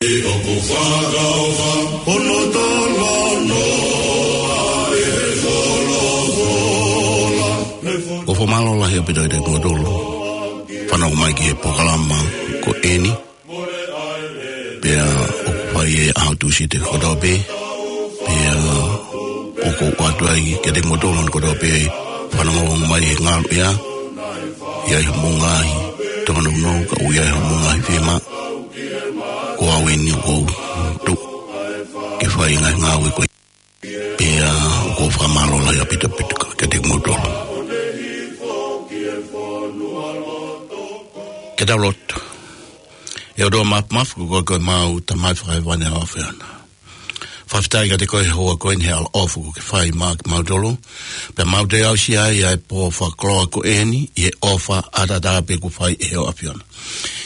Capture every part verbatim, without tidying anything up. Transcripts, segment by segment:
ʻOku fakamālō lahi ʻaupito kiate kimoutolu fanongo mai ki he polokalama ko eni. Pea ʻoku fai he ʻaho Tūsite kotoa pē. Pea ʻoku ou ʻoatu ai kiate kimoutolu hono kotoa pē fanongo mai he ngalu ia. ʻI ai hoʻomou ngaahi tōnounou, ka ʻoku ʻi ai hoʻomou ngaahi fiemaʻu, ko au eni ʻoku ou tuʻu ke fai e ngaahi ngāue ko ia. Pea ʻoku ou fakamālō lahi ʻaupito kiate kimoutolu. Ke tau lotu. ʻE ʻOtua Māfimafi, ko koe ko homau Tamai Fakahēvani ʻa e ʻAfiona. Fakafetaʻi kiate koe he houa ko eni he ʻaloʻofa kuo ke fai maʻa kimautolu. Pea mau toe aʻusia ai ʻa e pō fakakoloa ko eni ʻi he ʻofa ʻataʻatā pē kuo fai ʻe he ʻAfiona.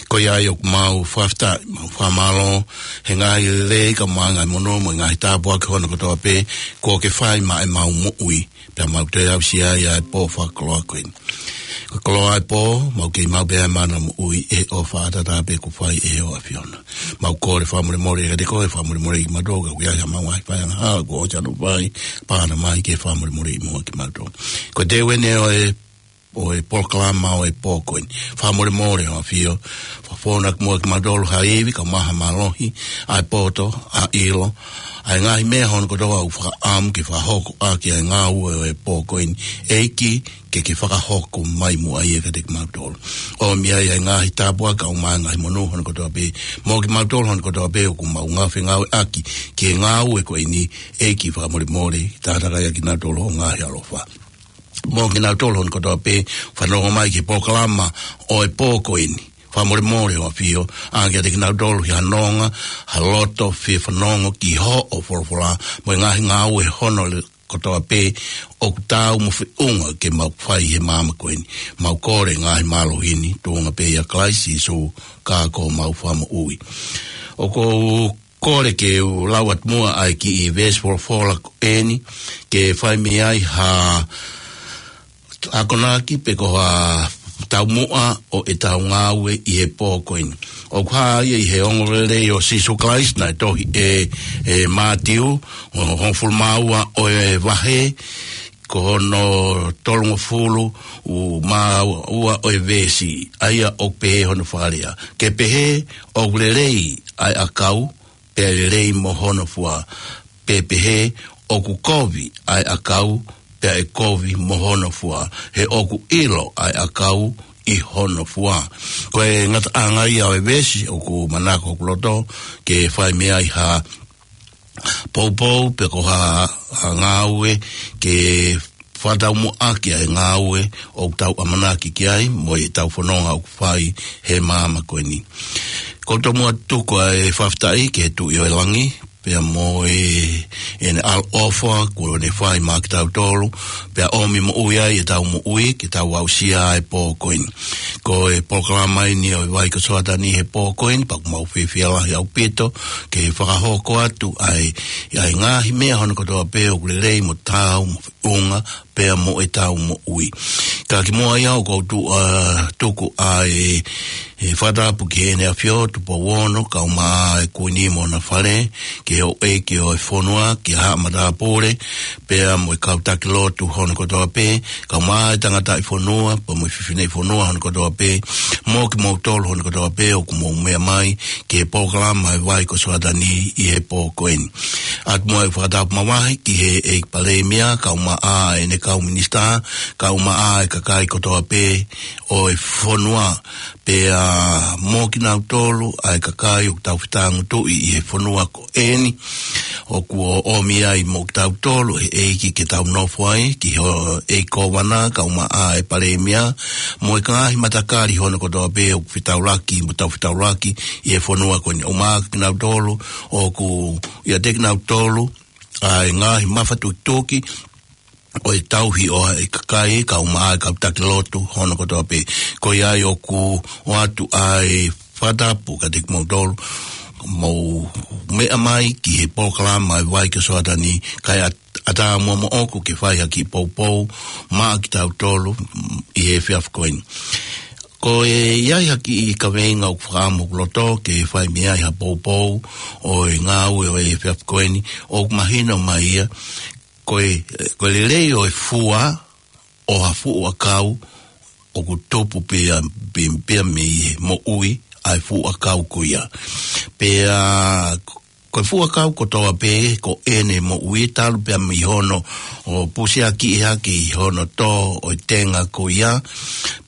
Ko ia ai ʻoku mau fakafetaʻi, mau fakamālō he ngaahi lelei kae ʻumaʻā e ngaahi monū mo e ngaahi tāpuaki hono kotoa pē kuo ke fai maʻa ʻemau moʻui. Pea mau toe aʻusia ai ʻa e pō fakakoloa ko eni. Ko e koloa ʻo e pō, mau kei maʻu pē ʻa e mana moʻui ʻi he ʻofa ʻataʻatā pē kuo fai ʻe he ʻAfiona. Mau kole fakamolemole kiate koe, fakamolemole kiate kimautolu ka ʻoku ʻi ai haʻamau ngaahi faiangahala kuo ʻosi ʻalu ʻo fai, pea ʻomai ke fakamolemoleʻi muʻa kimautolu. Ko e teu eni ʻo e, ʻo e polokalama ʻo e pō ko eni. Fakamolemole ʻAfio, fakafonu atu muʻa kimautolu ha ivi kae ʻumaʻā ha mālohi, ʻa e poto, ʻa e ʻilo, ʻa e ngaahi meʻa hono kotoa ʻoku fakaʻamu ke fakahoko ʻaki ʻa e ngāue ʻo e pō ko eni. ʻEiki, ke ke fakahoko mai muʻa ia kiate kimautolu. ʻOmi ai ʻa e ngaahi tāpuaki kae ʻumaʻā e ngaahi monū hono kotoa pē, mo kimautolu hono kotoa pē ʻoku mau ngāue fengāueʻaki ki he ngāue ko eni. ʻEiki, fakamolemole, tātakaia kinautolu ho ngaahi ʻaloʻofa. Mo kinautolu hono kotoa pē fanongo mai ki he polokalama ʻo e pō ko eni. Fakamolemole ʻAfio, ʻa kiate kinautolu ha nonga, ha loto fie fanongo ki hoʻo folofola, mo e ngaahi ngāue hono le-, kotoa pē ʻoku taau mo feʻunga ke mau fai he māmani ko eni. Mau kole ngaahi mālohi ni, tuʻunga pē ʻia Kalaisi Sīsū, ka ko homau Fakamoʻui. ʻOku ou kole ke u lau atu muʻa ʻa e kiʻi veesi folofola ko eni, ke fai mei ai ha akonaki pe ko ha taumuʻa ʻo ʻetau ngāue ʻi he pō ko eni. ʻOku hā ia ʻi he ongoongolelei ʻo Sīsū Kalaisi naʻe tohi ʻe, ʻe Mātiu, ʻo, hongofulu mā ua ʻo e vahe, ko hono tolungofulu mā ua ʻo e veesi, ʻa ia ʻoku pehē hono fakalea. Ke pehē ʻoku lelei ʻa e ʻakau, pea lelei mo hono fua. Pe pehē ʻoku kovi ʻa e ʻakau, pea ʻe kovi mo hono fua. He ʻoku ʻilo ʻa e ʻakau ʻi hono fua. Ko e ngataʻanga ia ʻo e veesi ʻoku manako hoku loto ke fai mei ai ha poupou pe ko ha, ha ngāue ke fakataumuʻaki ʻa e ngāue ʻoku tau ʻamanaki ki ai, mo ʻetau fononga ʻoku fai he māmani ko eni. ʻOku ou tomuʻa tuku ʻa e fakafetaʻi ki he Tuʻi ʻo e langi, pea mo e, ʻene ʻaloʻofa kuo ne fai maʻa kitautolu, pea ʻomi moʻui ai ʻetau moʻui, ke tau aʻusia ʻa e pō ko eni. Ko e polokalama eni ʻo e Vai ko Soatani he pō ko eni, pea ʻoku mau fiefia lahi ʻaupito ke fakahoko atu ʻa e, ʻa e ngaahi meʻa hono kotoa pē ʻoku lelei mo taau mo feʻunga pea mo ʻetau moʻui. Ka kimuʻa ia ʻoku ou tuʻu, ʻa, tuku ʻa e, e fakatapu ki Heʻene ʻAfio Tupou Ono, kae ʻumaʻā e Kuini mo hona fale, ki he houʻeiki ʻo e fonua, kia Haʻa Matāpule, pea mo e kau taki lotu hono kotoa pē, kae ʻumaʻā e tangataʻi fonua, pea mo e fefine fonua hono kotoa pē, mo kimoutolu hono kotoa pē ʻoku mou meʻa mai ki he polokalama ʻo e Vai ko Soatani ʻi he pō ko eni. ʻOatu muʻa e fakatapu mavahe ki he ʻEiki Palēmia, kae ʻumaʻā ʻene kau minisitā, kae ʻumaʻā e kakai kotoa pē ʻo e fonua, pea mo kinautolu ʻa e kakai ʻoku tau fetāngutuʻi ʻi he fonua ko eni. ʻOku ʻomi ai mo kitautolu ʻe he ʻEiki ke tau nofo ai, ki he ʻEiki Kōvana, kae ʻumaʻā e Palēmia, mo e ngaahi matakali hono kotoa pē ʻoku fetaulaki, mo tau fetaulaki ʻi he fonua ko eni. ʻUmaʻā kinautolu, ʻoku ʻiate kinautolu ʻa e ngaahi mafatukituki ʻo e tauhi ʻo e kakai, kae ʻumaʻā e kau taki lotu hono kotoa pē. Ko ia ai ʻoku ʻoatu ʻa e fakatapu kiate kimoutolu, mou meʻa mai ki he polokalama ʻo e Vai ko Soatani, kae ʻat-, ʻatā muʻa moʻoku ke fai ha kiʻi poupou maʻa kitautolu ʻi he efiafi ko eni. Ko e ʻi ai ha kiʻi kaveinga ʻoku fakaʻamu ʻoku loto ke fai mei ai ha poupou ʻo e ngāue ʻo e efiafi ko eni, ʻoku mahino mai ia, ko e, ko e lelei ʻo e fua ʻo ha fuʻu ʻakau ʻoku tupu pea, pea, pea mei he moʻui ʻa e fuʻu ʻakau ko ia. Pea ko e fuʻu ʻakau kotoa pē ko ʻene moʻui talu pea mei hono ʻo pusiaki hake ʻi hono tō ʻo e tenga ko ia,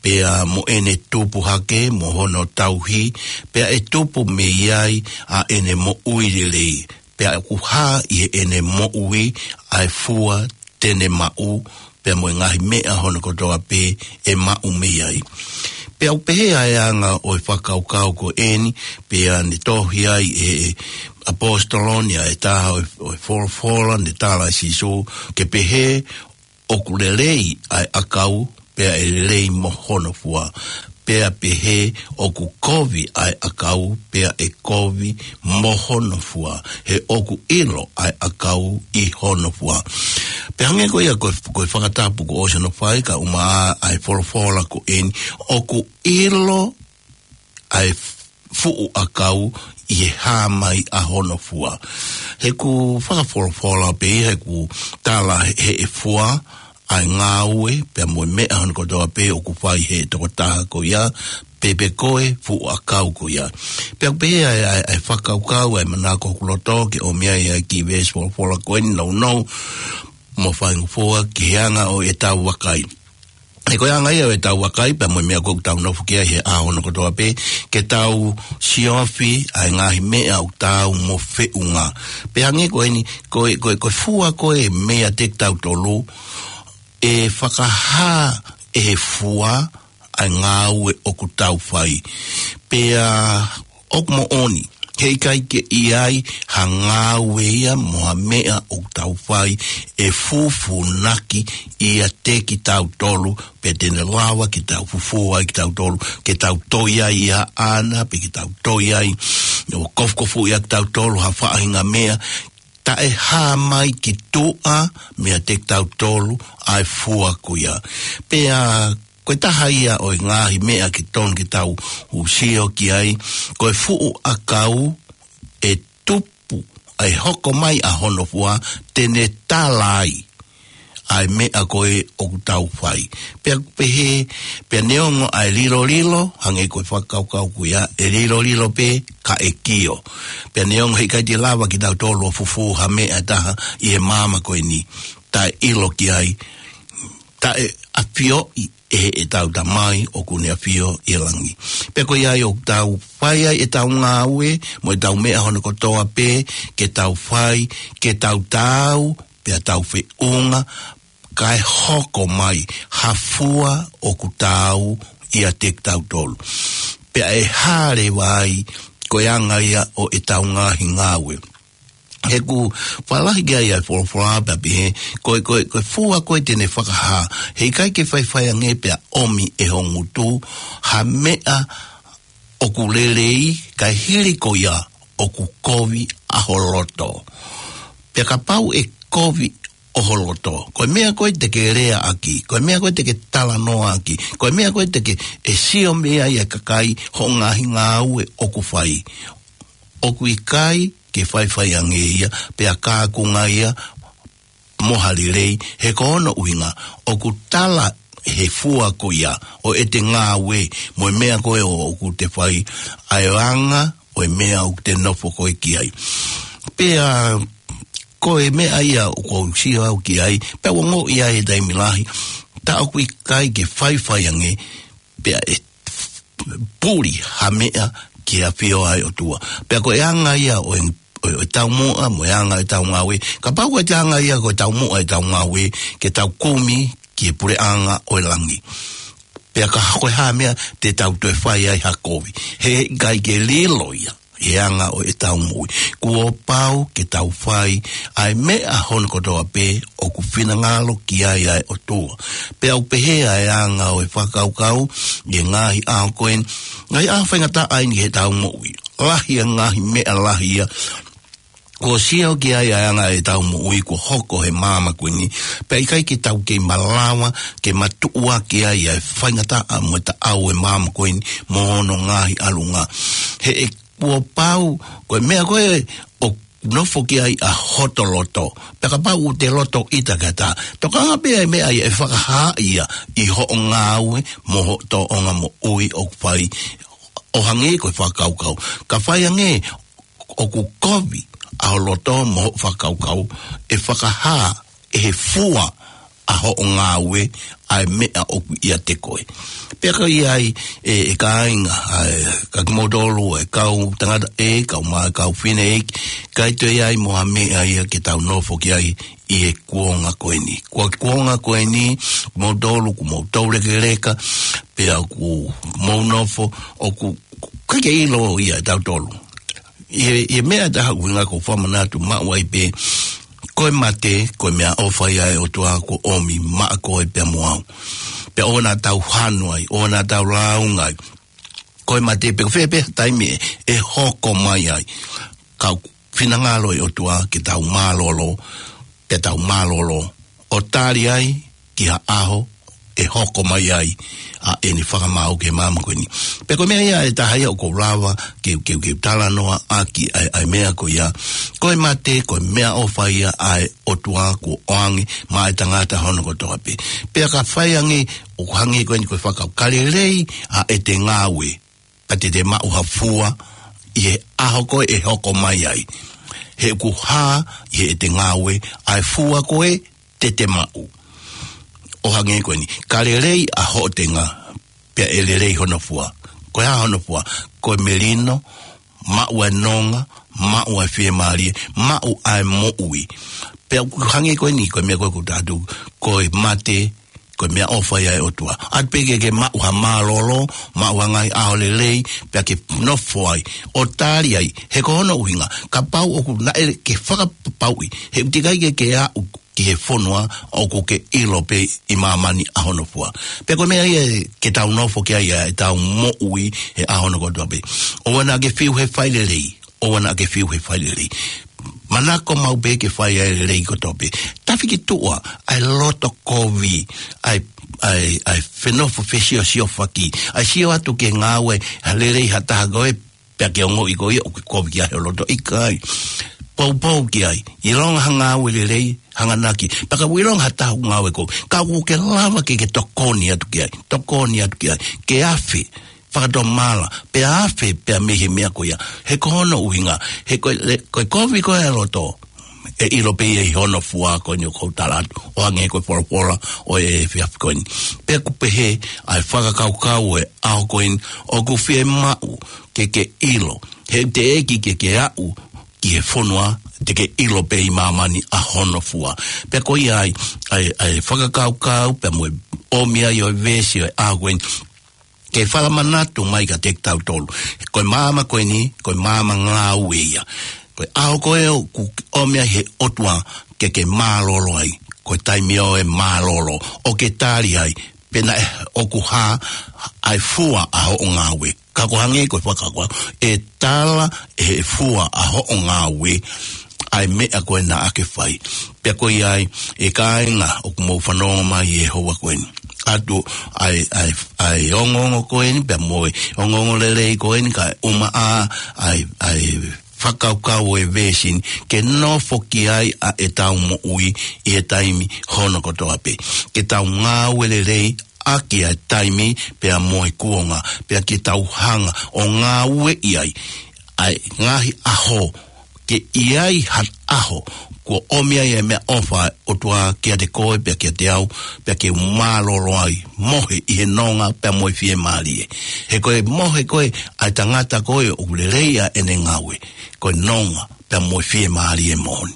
pea mo ʻene tupu hake mo hono tauhi, pea ʻe tupu mei ai ʻa ʻene moʻui lelei. Pea ʻoku hā ʻi heʻene moʻui ʻa e fua te ne maʻu, pea mo e ngaahi meʻa hono kotoa pē ʻe maʻu mei ai. Pea ʻoku pehē ʻa e anga ʻo e fakakaukau ko eni, pea ne tohi ai ʻe he ʻaposetolo ni ʻa e taha ʻo e, ʻo e folofola ne tala ʻe Sīsū, ke pehē ʻoku lelei ʻa e ʻakau, pea ʻe lelei mo hono fua. Pea pehē ʻoku kovi ʻa e ʻakau, pea ʻe kovi mo hono fua. He ʻoku ʻilo ʻa e ʻakau ʻi hono fua. Pea hangē ko ia ko e, ko e fakatapu kuo ʻosi hono fai, ka ʻumaʻā ʻa e folofola ko eni, ʻoku ʻilo ʻa e fuʻu ʻakau ʻi he hā mai ʻa hono fua. He ʻoku fakafolofola pē ia, he ʻoku tala he, he fua ʻa e ngāue, pea mo e meʻa hono kotoa pē ʻoku fai he tokotaha ko ia, pe, pe ko e fuʻu ʻakau ko ia. Pea ʻoku pehē ʻa e, ʻa e, ʻa e fakakaukau, ʻa e manako ʻoku loto ke ʻomi ai ʻa e kiʻi veesi folofola ko eni nounou, mo faingofua ki he anga ʻo ʻetau vakai. He ko e anga ia ʻo ʻetau vakai, pea mo e meʻa ʻoku tau nofo ki ai he ʻaho hono kotoa pē, ke tau siofi ʻa e ngaahi meʻa ʻoku tau mo feʻunga. Pea hangē ko eni, ko e, ko e, ko e fua ko e meʻa ʻiate kitautolu, ʻe fakahā ʻe he fua ʻa e ngāue ʻoku tau fai. Pea ʻoku moʻoni, heʻikai ke ʻi ai ha ngāue ia mo ha meʻa ʻoku tau fai ʻe fūfūnaki ʻiate kitautolu, pe te ne lava ke tau fufū ai kitautolu, ke tau toi ai ʻia ʻAna, pe ke tau toi ai ʻo kofukofuʻi ai kitautolu ha faʻahinga meʻa, taʻe hā mai ki tuʻa meiate kitautolu ʻa e fua ko ia. Pea ko e taha ia ʻo e ngaahi meʻa ke tonu ke tau sio ki ai, ko e fuʻu ʻakau ʻe tupu, ʻe hoko mai ʻa hono fua, te ne tala ai ʻa e meʻa ko ē ʻoku tau fai. Pea ʻoku pehē, pea neongo ʻa e lilolilo, hangē ko e fakakaukau ko ia, ʻe lilolilo pē ka ʻe kio. Pea neongo heʻikai te lava kitautolu ʻo fufū ha meʻa ʻe taha ʻi he māmani ko eni, taʻe ʻilo ki ai, taʻe ʻafioʻi ʻe heʻetau Tamai ʻoku ne ʻafio ʻi langi. Pea ko ia ai ʻoku tau fai ai ʻetau ngāue, mo ʻetau meʻa hono kotoa pē, ke tau fai, ke tau taau, pea tau feʻunga, kae hoko mai ha fua ʻoku taau ʻiate kitautolu. Pea ʻe hā leva ai, ko e anga ia ʻo ʻetau ngaahi ngāue. He ʻoku fālahi ki ai ʻa e folofola pea pehē, ko e, ko e, ko e fua ko ē te ne fakahā, heʻikai ke faifai ange pea ʻomi ʻe ho ngutu ha meʻa ʻoku lelei, kae hili ko ia ʻoku kovi ʻa ho loto. Pea kapau ʻe kovi ʻa ho loto, ko e meʻa ko ē te ke leaʻaki, ko e meʻa ko ē te ke talanoaʻaki, ko e meʻa ko ē te ke ʻe sio mei ai ʻa e kakai hoʻo ngaahi ngāue ʻoku fai, ʻoku ʻikai ke faifai ange ia, pea kākunga ia mo ha lelei, he ko hono ʻuhinga, ʻoku tala he fua ko ia ʻo ʻete ngāue, mo e meʻa ko ē ʻoku te fai, ʻa e anga ʻo e meʻa ʻoku te nofo ko ē ki ai. Pea ko e meʻa ia ʻoku ou sio au ki ai, pea ʻoku ou ongoʻi ai he taimi lahi, tā ʻoku ʻikai ke faifai ange, pea ʻe puli ha meʻa ki he ʻafio ʻa e ʻOtua. Pea ko e anga ia ʻo e, ʻo e, ʻo e taumuʻa, mo e anga ʻo e tau ngāue. Kapau ko e anga ia ko e taumuʻa ʻo e tau ngāue, ke tau kumi ki he puleʻanga ʻo e langi. Pea ka ko e hā meʻa te tau toe fai ai ha kovi. Heʻikai ke lilo ia he anga ʻo ʻetau moʻui. Kuo pau ke tau fai ʻa e meʻa hono kotoa pē ʻoku finangalo ki ai ʻa e ʻOtua. Pea ʻoku pehē ʻa e anga ʻo e fakakaukau ʻi he ngaahi ʻaho ko eni, ngaahi ʻaho faingataʻa eni heʻetau moʻui. Lahi ʻa e ngaahi meʻa lahi ia Kuo sio ki ai ʻa e anga ʻetau moʻui kuo hoko he māmani ko eni. Pea ʻikai ke tau kei malava ke matuʻuaki ai ʻa e faingataʻa mo e taʻau ʻo e māmani ko eni mo hono ngaahi ʻalunga. He ʻe kuo pau, ko e meʻa ko ē ʻoku nofo ki ai ʻa hoto loto. Pea kapau ʻoku te loto ʻita ki ha taha, tokanga pē ʻa e meʻa ia ʻe fakahā ia ʻi hoʻo ngāue mo hoʻo tōʻonga moʻui ʻoku fai, ʻo hangē ko e fakakaukau. Ka fai ange ʻoku kovi ʻa ho loto mo hoʻo fakakaukau, ʻe fakahā ʻe he fua ʻa hoʻo ngāue ʻa e meʻa ʻoku ʻiate koe. Pea ka ʻi ai e, e kāinga, ʻa e, ka kimoutolu, e kau tangata ē, kau mā, kau fine ē, ʻikai toe ʻi ai mo ha meʻa ia ke tau nofo ki ai ʻi he kuonga ko eni. Ko e kuonga ko eni, moutolu, kuo mou toulekeleka, pea kuo mou nofo, ʻoku ʻikai ke ʻilo ia ʻe tautolu. ʻI he, ʻi he meʻa ʻe taha ʻoku ʻuhinga ʻoku ou fakamanatu maʻu ai pē, ko e mate, ko e meʻaʻofa ia ʻa e ʻOtua kuo ʻomi maʻa koe pea mo au. Pea ʻoua naʻa tau hanu ai, ʻoua naʻa tau lāunga ai. Ko e mate pe ko fē pē ha taimi ʻe, ʻe hoko mai ai. Ka ʻoku finangalo e ʻOtua ke tau mālōlō, ke tau mālōlō ʻo tali ai ki ha ʻaho ʻe hoko mai ai ʻa ʻene fakamaau ki he māmani ko eni. Pea ko e meʻa ia ʻe taha ia ʻoku ou lava ke, ke, ke talanoa ʻaki ʻa e, ʻa e meʻa ko ia. Ko e mate, ko e meʻaʻofa ia ʻa e ʻOtua kuo ʻoange maʻa e tangata hono kotoa pē. Pea ka fai ange, ʻoku hangē ko eni ko e fakakaukau, ka lelei ʻa ʻete ngāue, pea te te maʻu ha fua ʻi he ʻaho ko ē ʻe hoko mai ai. He ʻoku hā ʻi heʻete ngāue ʻa e fua ko ē te te maʻu. ʻO hangē ko eni, ka lelei ʻa hoʻo tenga, pea ʻe lelei hono fua. Ko e hā hono fua? Ko e melino, maʻu ʻa e nonga, maʻu ʻa e fiemālie, maʻu ʻa e moʻui. Pea ʻoku hangē ko eni, ko e meʻa ko ē ʻoku tau atu, ko e mate, ko e meʻaʻofa ia ʻa e ʻOtua. ʻAtu pē ke ke maʻu ha mālōlō, maʻu ha ngaahi ʻaho lelei, pea ke nofo ai ʻo tali ai. He ko hono ʻuhinga, kapau ʻoku naʻe ke fakapapauʻi, he ʻoku teʻeki ai ke ke aʻu ki he fonua ʻoku ke ʻilo pē ʻi māmani ʻa hono fua. Pea ko e meʻa ia ke tau nofo ki ai ʻa ʻetau moʻui he ʻaho hono kotoa pē. ʻOua naʻa ke fiu he fai lelei, ʻoua naʻa ke fiu he fai lelei. Manako maʻu pē ke fai ʻa e lelei kotoa pē. Tafi ki tuʻa ʻa e loto kovi, ʻa e, ʻa e, ʻa e fenofo fesiosiofaki, ʻa e sio atu ki he ngāue ha lelei ha taha ko ē, pea ke ongoʻi ko ia ʻoku ke kovi ki ai ho loto, ʻikai. Poupou ki ai. ʻIlonga ha ngāue lelei, hanganaki. Pea ka ʻilonga ha taha ʻoku ngāue kovi, ka ʻoku ke lava ke ke tokoni atu ki ai. Tokoni atu ki ai. Ke afe fakatomala, pea afe pea mei he meʻa ko ia. He ko hono ʻuhinga, he ko e, ko e kovi ko ē ʻa e loto, ʻe ʻilo pē ia ʻi hono fua ko eni ʻoku ou tala atu, ʻo hangē ko e folofola ʻo e efiafi ko eni. Pea ʻoku pehē ʻa e fakakaukau ʻo e ʻaho ko eni, ʻoku fiemaʻu ke ke ʻilo. He teʻeki ke ke aʻu ki he fonua te ke ʻilo pē ʻi māmani ʻa hono fua. Pea ko ia ai, ʻa e, ʻa e fakakaukau, pea mo e ʻomi ai ʻo e veesi ʻo e ʻaho ko eni, ke fakamanatu mai kiate kitautolu. Ko e māmani ko eni, ko e māmani ngāue ia. Ko e ʻaho ko ē ʻoku ʻomi ai he ʻOtua ke ke mālōlō ai, ko e taimi ʻo e mālōlō, ʻo ke tali ai, pea naʻe ʻoku hā ʻa e fua ʻa hoʻo ngāue. Ka ʻoku hangē ko e fakakaukau, ʻe tala ʻe he fua ʻa hoʻo ngāue ʻa e meʻa ko ē naʻa ke fai. Pea ko ia ai, e kāinga ʻoku mou fanongo mai he houa ko eni. ʻAtu ʻa e, ʻa e, ʻa e ongoongo ko eni, pea mo e ongoongo lelei ko eni, kae ʻumaʻā ʻa e, ʻa e fakakaukau ʻo e veesi ni, ke nofo ki ai ʻa ʻetau moʻui ʻi he taimi hono kotoa pē. Ke tau ngāue lelei ʻaki ʻa e taimi pea mo e kuonga, pea ke tau hanga ʻo ngāueʻi ai ʻa e ngaahi ʻaho, ke ʻi ai ha ʻaho kuo ʻomi ai e meʻaʻofa ʻa e ʻOtua kiate koe pea kiate au, pea ke mālōlō ai, mohe ʻi he nonga pea mo e fiemālie. He ko e mohe ko ē ʻa e tangata ko ē ʻoku lelei ʻa ʻene ngāue, ko e nonga pea mo e fiemālie moʻoni.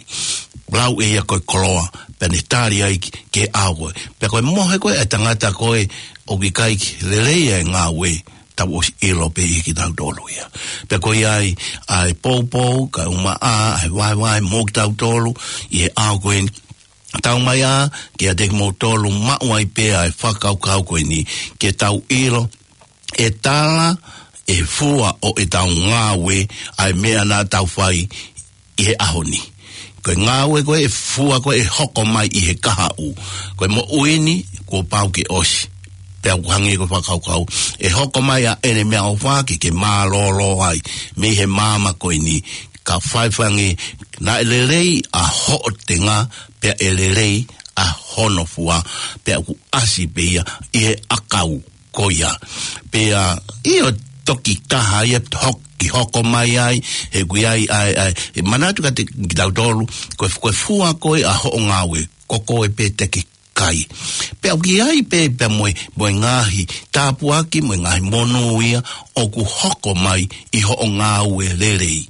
Lau ʻe ia ko e koloa, pea ne tali ai ki, ki he ʻaho ko ē. Pea ko e mohe ko ē ʻa e tangata ko ē ʻoku ʻikai ke lelei ʻa e ngāue, tau ʻosi ʻilo pē ʻe kitautolu ia. Pea ko ia ai, ʻa e poupou, kae ʻumaʻā ʻa e vahevahe mo kitautolu ʻi he ʻaho ko eni. Tau mai ā kiate kimoutolu, maʻu ai pē ʻa e fakakaukau ko eni, ke tau ʻilo, ʻe tala ʻe he fua ʻo ʻetau ngāue ʻa e meʻa naʻa tau fai ʻi he ʻaho ni. Ko e ngāue ko ē, ʻe fua ko ē ʻe hoko mai ʻi he kahaʻu. Ko e moʻui ni, kuo pau ke ʻosi. Pea ʻoku hangē ko e fakakaukau, ʻe hoko mai ʻa ʻene meʻaʻofa ke ke mālōlō ai mei he māmani ko eni. Ka faifai ange, naʻe lelei ʻa hoʻo tenga, pea ʻe lelei ʻa hono fua, pea ʻoku ʻasi pē ia ʻi he ʻakau ko ia. Pea ʻio, toki taha ia hoki hoko mai ai, he ʻoku ʻi ai, ʻa e, ʻa e, ʻe manatu kiate kitautolu, ko e, ko e fua ko ē ʻa hoʻo ngāue, ko koe pē te ke kai. Pea ʻoku ʻi ai pē, pea mo e, mo e ngaahi tāpuaki, mo e ngaahi monū ia, ʻoku hoko mai ʻi hoʻo ngāue lelei.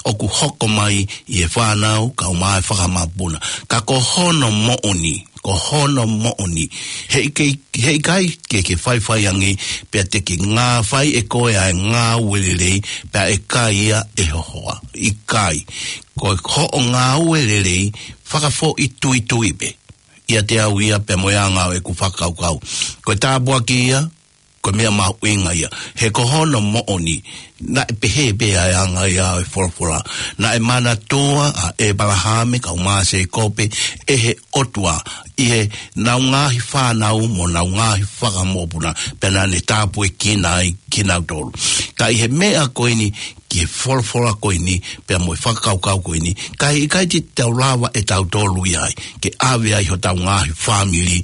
ʻOku hoko mai ʻi he fānau, kae ʻumaʻā e fakamāpuna. Ka ko hono moʻoni, ko hono moʻoni. He ʻikai, he ʻikai ke, ke faifai ange, pea te ke ngā fai ʻe koe ʻa e ngāue lelei, pea ʻe kai ia ʻe ho hoa. ʻIkai. Ko hoʻo ngāue lelei, fakafoʻituitui pē ʻiate au ia pea mo e anga ʻo ʻeku fakakaukau. Ko e tāpuaki ia, ko e meʻa mahuʻinga ia. He ko hono moʻoni, naʻe pehē pē ʻa e anga ia ʻo e folofola. Naʻe manatua ʻa ʻĒpalahame kae ʻumaʻā ʻa Sēkope ʻe he ʻOtua ʻi heʻenau ngaahi fānau mo ʻenau ngaahi fakamokopuna, pea naʻa ne tāpuekina ai kinautolu. Ka ʻi he meʻa ko eni, ki he folofola ko eni, pea mo e fakakaukau ko eni, ka ʻikai te tau lava ʻe tautolu ia ai, ke ʻave ai hotau ngaahi fāmili,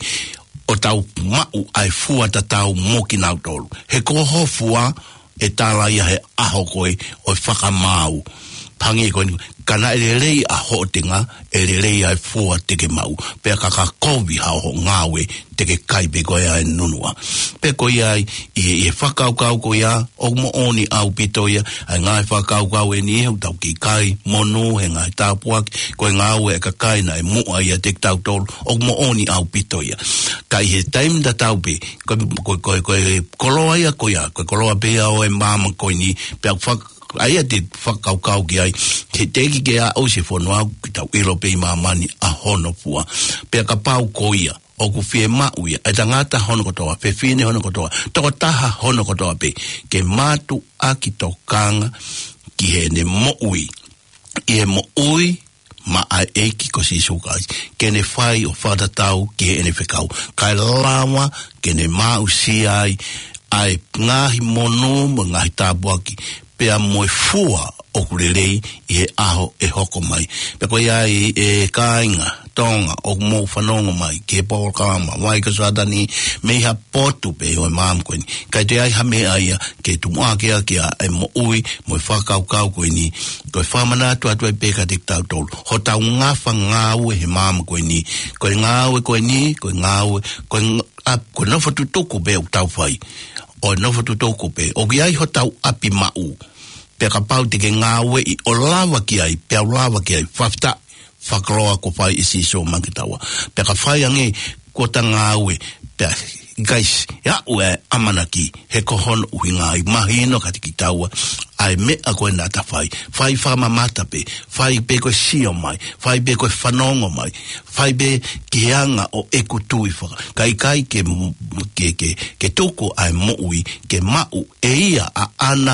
ʻo tau maʻu ʻa e fua tatau mo kinautolu. He ko ho fua, ʻe tala ia he ʻaho ko ē ʻo e fakamaau. Hangē ko eni, ka naʻe lelei ʻa hoʻo tenga, ʻe lelei ʻa e fua te ke maʻu. Pea ka ka kovi haʻo ngāue, te ke kai pē koe ʻa e nunuʻa. Pea ko ia ai, ʻi he, ʻi he fakakaukau ko ia, ʻoku moʻoni ʻaupito ia, ʻa e ngaahi fakakaukau eni ʻoku tau kei kai monū he ngaahi tāpuaki, ko e ngāue ʻa e kakai naʻe muʻa ʻiate kitautolu, ʻoku moʻoni ʻaupito ia. Ka ʻi he taimi tatau pē, ko, ko, ko, ko e koloa ia ko ia, ko e koloa pē ia ʻo e māmani ko eni, pea fak-, ʻa ia te fakakaukau ki ai, he teʻeki ke aʻu ʻi he fonua, ke tau ʻilo pē ʻi māmani ʻa hono fua. Pea kapau ko ia, ʻoku fiemaʻu ia, ʻa e tangata hono kotoa, fefine hono kotoa, tokotaha hono kotoa pē, ke mātuʻaki tokanga ki heʻene moʻui, ʻi he moʻui maʻa e ʻEiki ko Sīsū Kalaisi, ke ne fai ʻo fakatatau ki heʻene fekau. Kae lava ke ne maʻusia ai ʻa e ngaahi monū mo e ngaahi tāpuaki, pea mo e fua ʻoku lelei ʻi he ʻaho ʻe hoko mai. Pea ko ia ai ʻe kāinga Tonga ʻoku mou fanongo mai ki he polokalama Vai ko Sātani mei ha potu pē ʻo e māmani ko eni. ʻIkai toe ʻi ai ha meʻa ia ke tumuʻaki ʻaki ʻa e moʻui mo e fakakaukau ko eni. Ko e fakamanatu atu ai pē kiate kitautolu. Hotau ngafa ngāue he māmani ko eni. Ko e ngāue ko eni, ko e ngāue, ko e ng-, ʻa, ko e nofo tutuku pē ʻoku tau fai. ʻO e nofo tutuku pē. ʻOku ʻi ai hotau ʻapi maʻu. Pea kapau te ke ngāueʻi ʻo lava ki ai, pea u lava ki ai, fakafetaʻi, fakakoloa kuo fai ʻe Sīsū maʻa kitaua. Pea ka fai ange kuo ta ngāue, pea ʻikai siʻi aʻu e ʻamanaki, he ko hono ʻuhinga ia mahino kiate kitaua, ʻa e meʻa ko ē naʻa ta fai, fai fakamamata pē, fai pē ko e sio mai, fai pē ko e fanongo mai, fai pē ki he anga ʻo ʻeku tui faka-, ka ʻikai ke, ke, ke, ke tuku ʻa e moʻui, ke maʻu ʻe ia ʻaʻana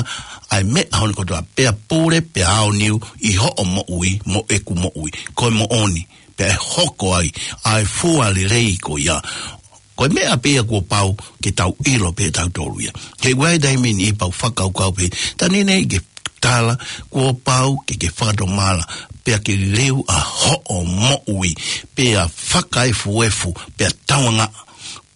ʻa e meʻa hono kotoa, pea pule, pea aoniu ʻi hoʻo moʻui, mo ʻeku moʻui, ko e moʻoni, pea ʻe hoko ai ʻa e fua lelei ko ia. Ko e meʻa pē ia kuo pau ke tau ʻilo pē tautolu ia. He ʻoku ʻi ai e taimi ʻe niʻihi pau fakakaukau pē, ta nini ke tala, kuo pau ke ke fakatomala, pea ke leu ʻa hoʻo moʻui, pea fakaefuefu, pea tauangaʻa.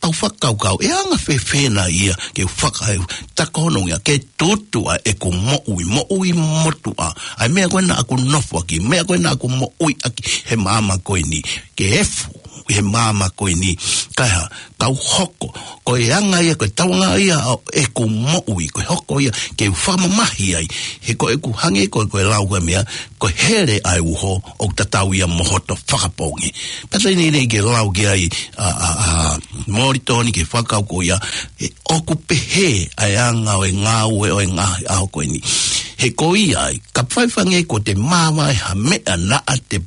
Pau fakakaukau, ʻe anga fēfē nai ia ke fakaefu, ta ko hono ʻuhinga, ke tutu ʻa ʻeku moʻui, moʻui motuʻa. ʻA e meʻa ko ē naʻa ku nofo ʻaki, meʻa ko ē naʻa ku moʻui ʻaki he māmani ko eni, ke efu he māmani ko eni. Kae hā, kau hoko, ko e anga ia, ko e tauangaʻa ia ʻo ʻeku moʻui, ko e hoko ia, ke u fakamamahi ai. He ko ʻeku hangē ko, ko e lau ko e meʻa, ko e hele ʻa e uho, ʻoku tatau ia mo hoto fakapoongi. Pea te nini ke lau ki ai, ʻa, ʻa, ʻa, Molitoni ke fakakaukau ia, ʻe ʻoku pehē ʻa e anga ʻo e ngāue ʻo e ngaahi ʻaho ko eni. He ko ia ai, ka faifai ange kuo te māvae ha meʻa naʻa te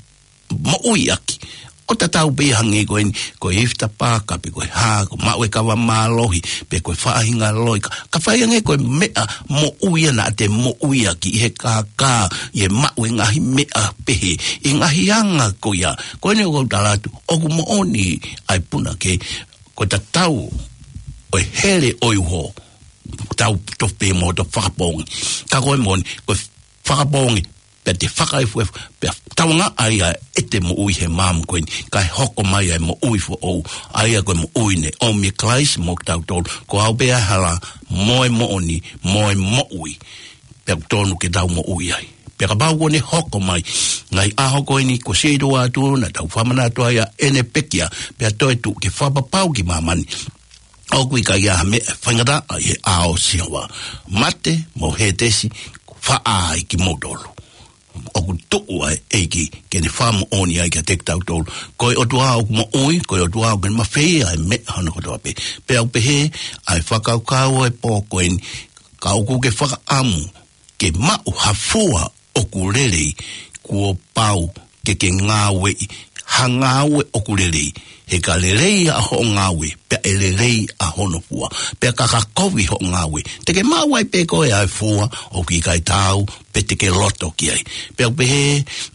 moʻui ʻaki, ʻo tatau pē ia hangē ko eni, ko e ifi tapaka, pe ko e hā, ko e maʻu e kava mālohi, pe ko e faʻahinga loi, ka, ka fai ange ko e meʻa moʻui ia naʻa te moʻui ʻaki ʻi he kākā, ʻi he maʻu e ngaahi meʻa pehē, ʻi he ngaahi anga ko ia. Ko eni ʻoku ou tala atu, ʻoku moʻoni ʻa e punake, ko e tatau ʻo e hele ʻo e uho, tau tofu pē mo hoto fakapoongi. Ka ko e moʻoni, ko e fakapoongi, pea te fakaefuefu, pea tauange ai ʻa e ʻete moʻui he maama ko eni, kae hoko mai ʻa e moʻui foʻou, ʻa ia ko e moʻui ne ʻomi ʻe Kalaisi mo kitautolu, ko au pē ʻa e hala, mo e moʻoni, mo e moʻui. Pea ʻoku tonu ke tau moʻui ai. Pea kapau kuo ne hoko mai, ngaahi ʻaho ko eni kuo sio atu naʻa tau fakamanatu ai ʻa ʻene pekia, pea toe tuʻu ke fakapapau ki māmani. ʻOku ʻikai ha meʻa faingataʻa ʻi he ʻao ʻo Sihova. Mate mo Hētesi, faʻa ai kimoutolu. ʻOku tuʻu ʻa e ʻEiki ke ne fakamoʻoni ai kiate kitautolu. Ko e ʻOtua ʻoku moʻui, ko e ʻOtua ʻoku ne mafeia ʻa e meʻa hono kotoa pē. Pea ʻoku pehē ʻa e fakakaukau ʻo e pō ko eni, ka ʻoku ke fakaʻamu ke maʻu ha fua ʻoku lelei, kuo pau ke ke ngāueʻi ha ngāue ʻoku lelei. He ka lelei ʻa hoʻo ngāue, pea ʻe lelei ʻa hono fua. Pea ka ka kovi hoʻo ngāue, te ke maʻu ai pē koe ʻa e fua, ʻoku ʻikai taau, pe te ke loto ki ai. Pea ʻoku pehē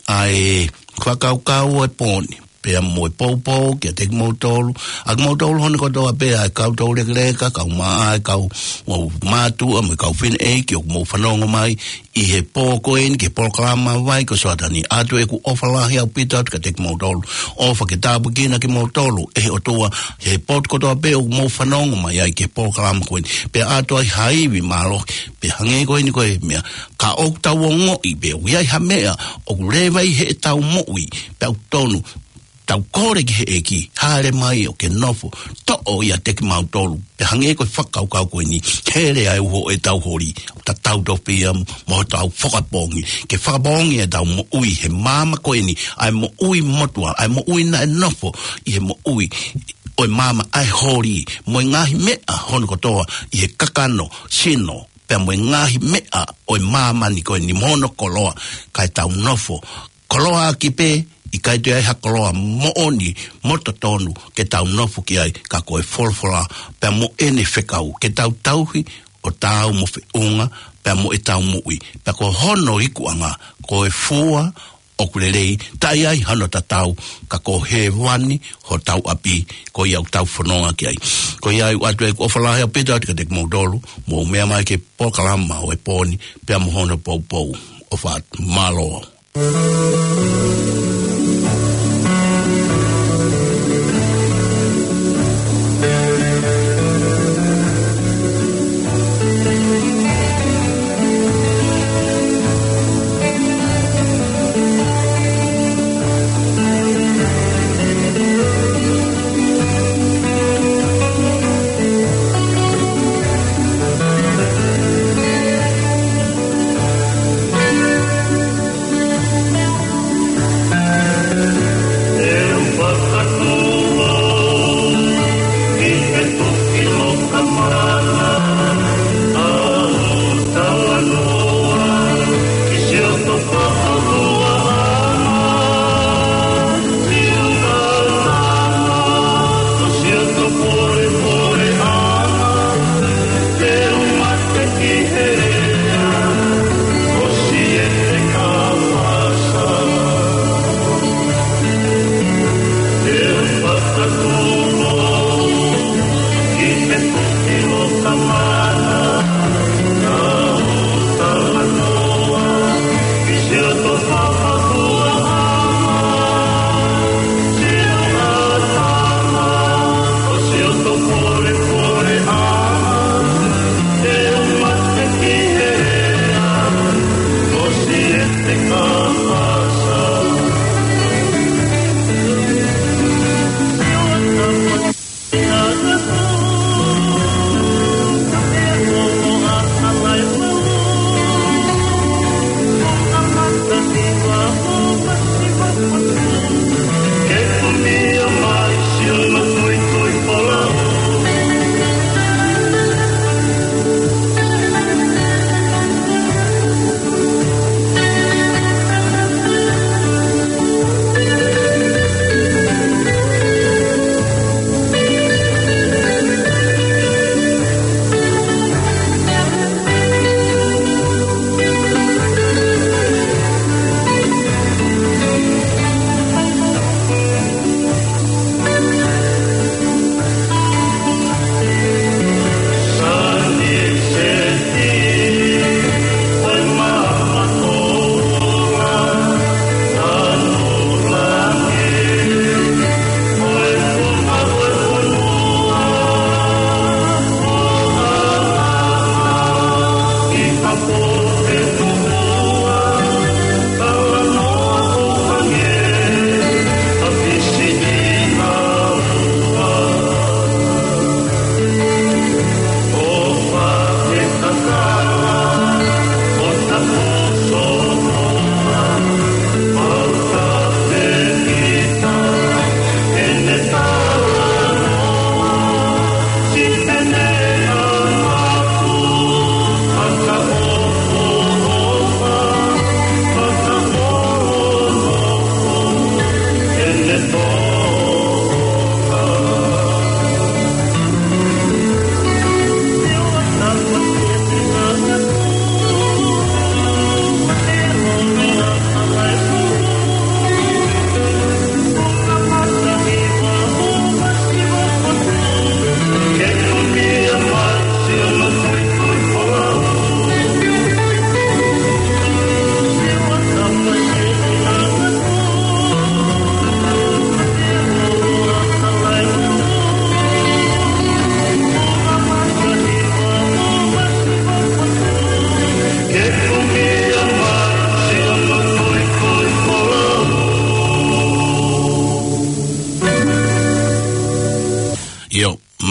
ʻa e fakakaukau ʻo e pō ni, pea mo e poupou kiate kimoutolu, ʻa kimoutolu hono kotoa pē, ʻa e kau toulekeleka, kau mā, ʻa e kau, mo mātuʻa, mo e kau fineʻeiki ʻoku mou fanongo mai ʻi he pō ko eni ki he polokalama Vai ko Soatani. ʻOatu ʻeku ʻofa lahi ʻaupito atu kiate kimoutolu. ʻOfa ke tāpuekina kimoutolu ʻe he ʻOtua he potu kotoa pē ʻoku mou fanongo mai ai ki he polokalama ko eni. Pea ʻoatu ai ha ivi mālohi, pea hangē ko eni ko e meʻa, ka ʻoku tau ongoʻi pē ʻoku ʻi ai ha meʻa ʻoku leva ʻi heʻetau moʻui, pea ʻoku tonu tau kole ki he ʻEiki, hāʻele mai ʻo ke nofo, toʻo ʻiate kimautolu. Pea hangē ko e fakakaukau ko eni, hele ʻa e uho ʻo ʻetau holi, tatau tofu pē ia mo hotau fakapoongi, ke fakapoongi ʻetau moʻui he maama ko eni, ʻa e moʻui motuʻa, ʻa e moʻui naʻe nofo ʻi he moʻui ʻo e maama, ʻa e holi, mo e ngaahi meʻa hono kotoa ʻi he kakano, sino, pea mo e ngaahi meʻa ʻo e māmani ko eni mo hono koloa, kae tau nofo koloaʻaki pē, ʻikai toe ʻi ai ha koloa moʻoni mo totonu ke tau nofo ki ai, ka ko e folofola, pea mo ʻene fekau, ke tau tauhi ʻo taau mo feʻunga, pea mo ʻetau moʻui. Pea ko hono ikuʻanga, ko e fua ʻoku lelei, taʻe ʻi ai hano tatau, ka ko hēvani hotau ʻapi, ko ia ʻoku tau fononga ki ai. Ko ia ʻoku ʻoatu ʻeku ʻofa lahi ʻaupito atu kiate kimoutolu, mou meʻa mai ki he polokalama ʻo e pō ni, pea mo hono poupou. ʻOfa atu, mālō.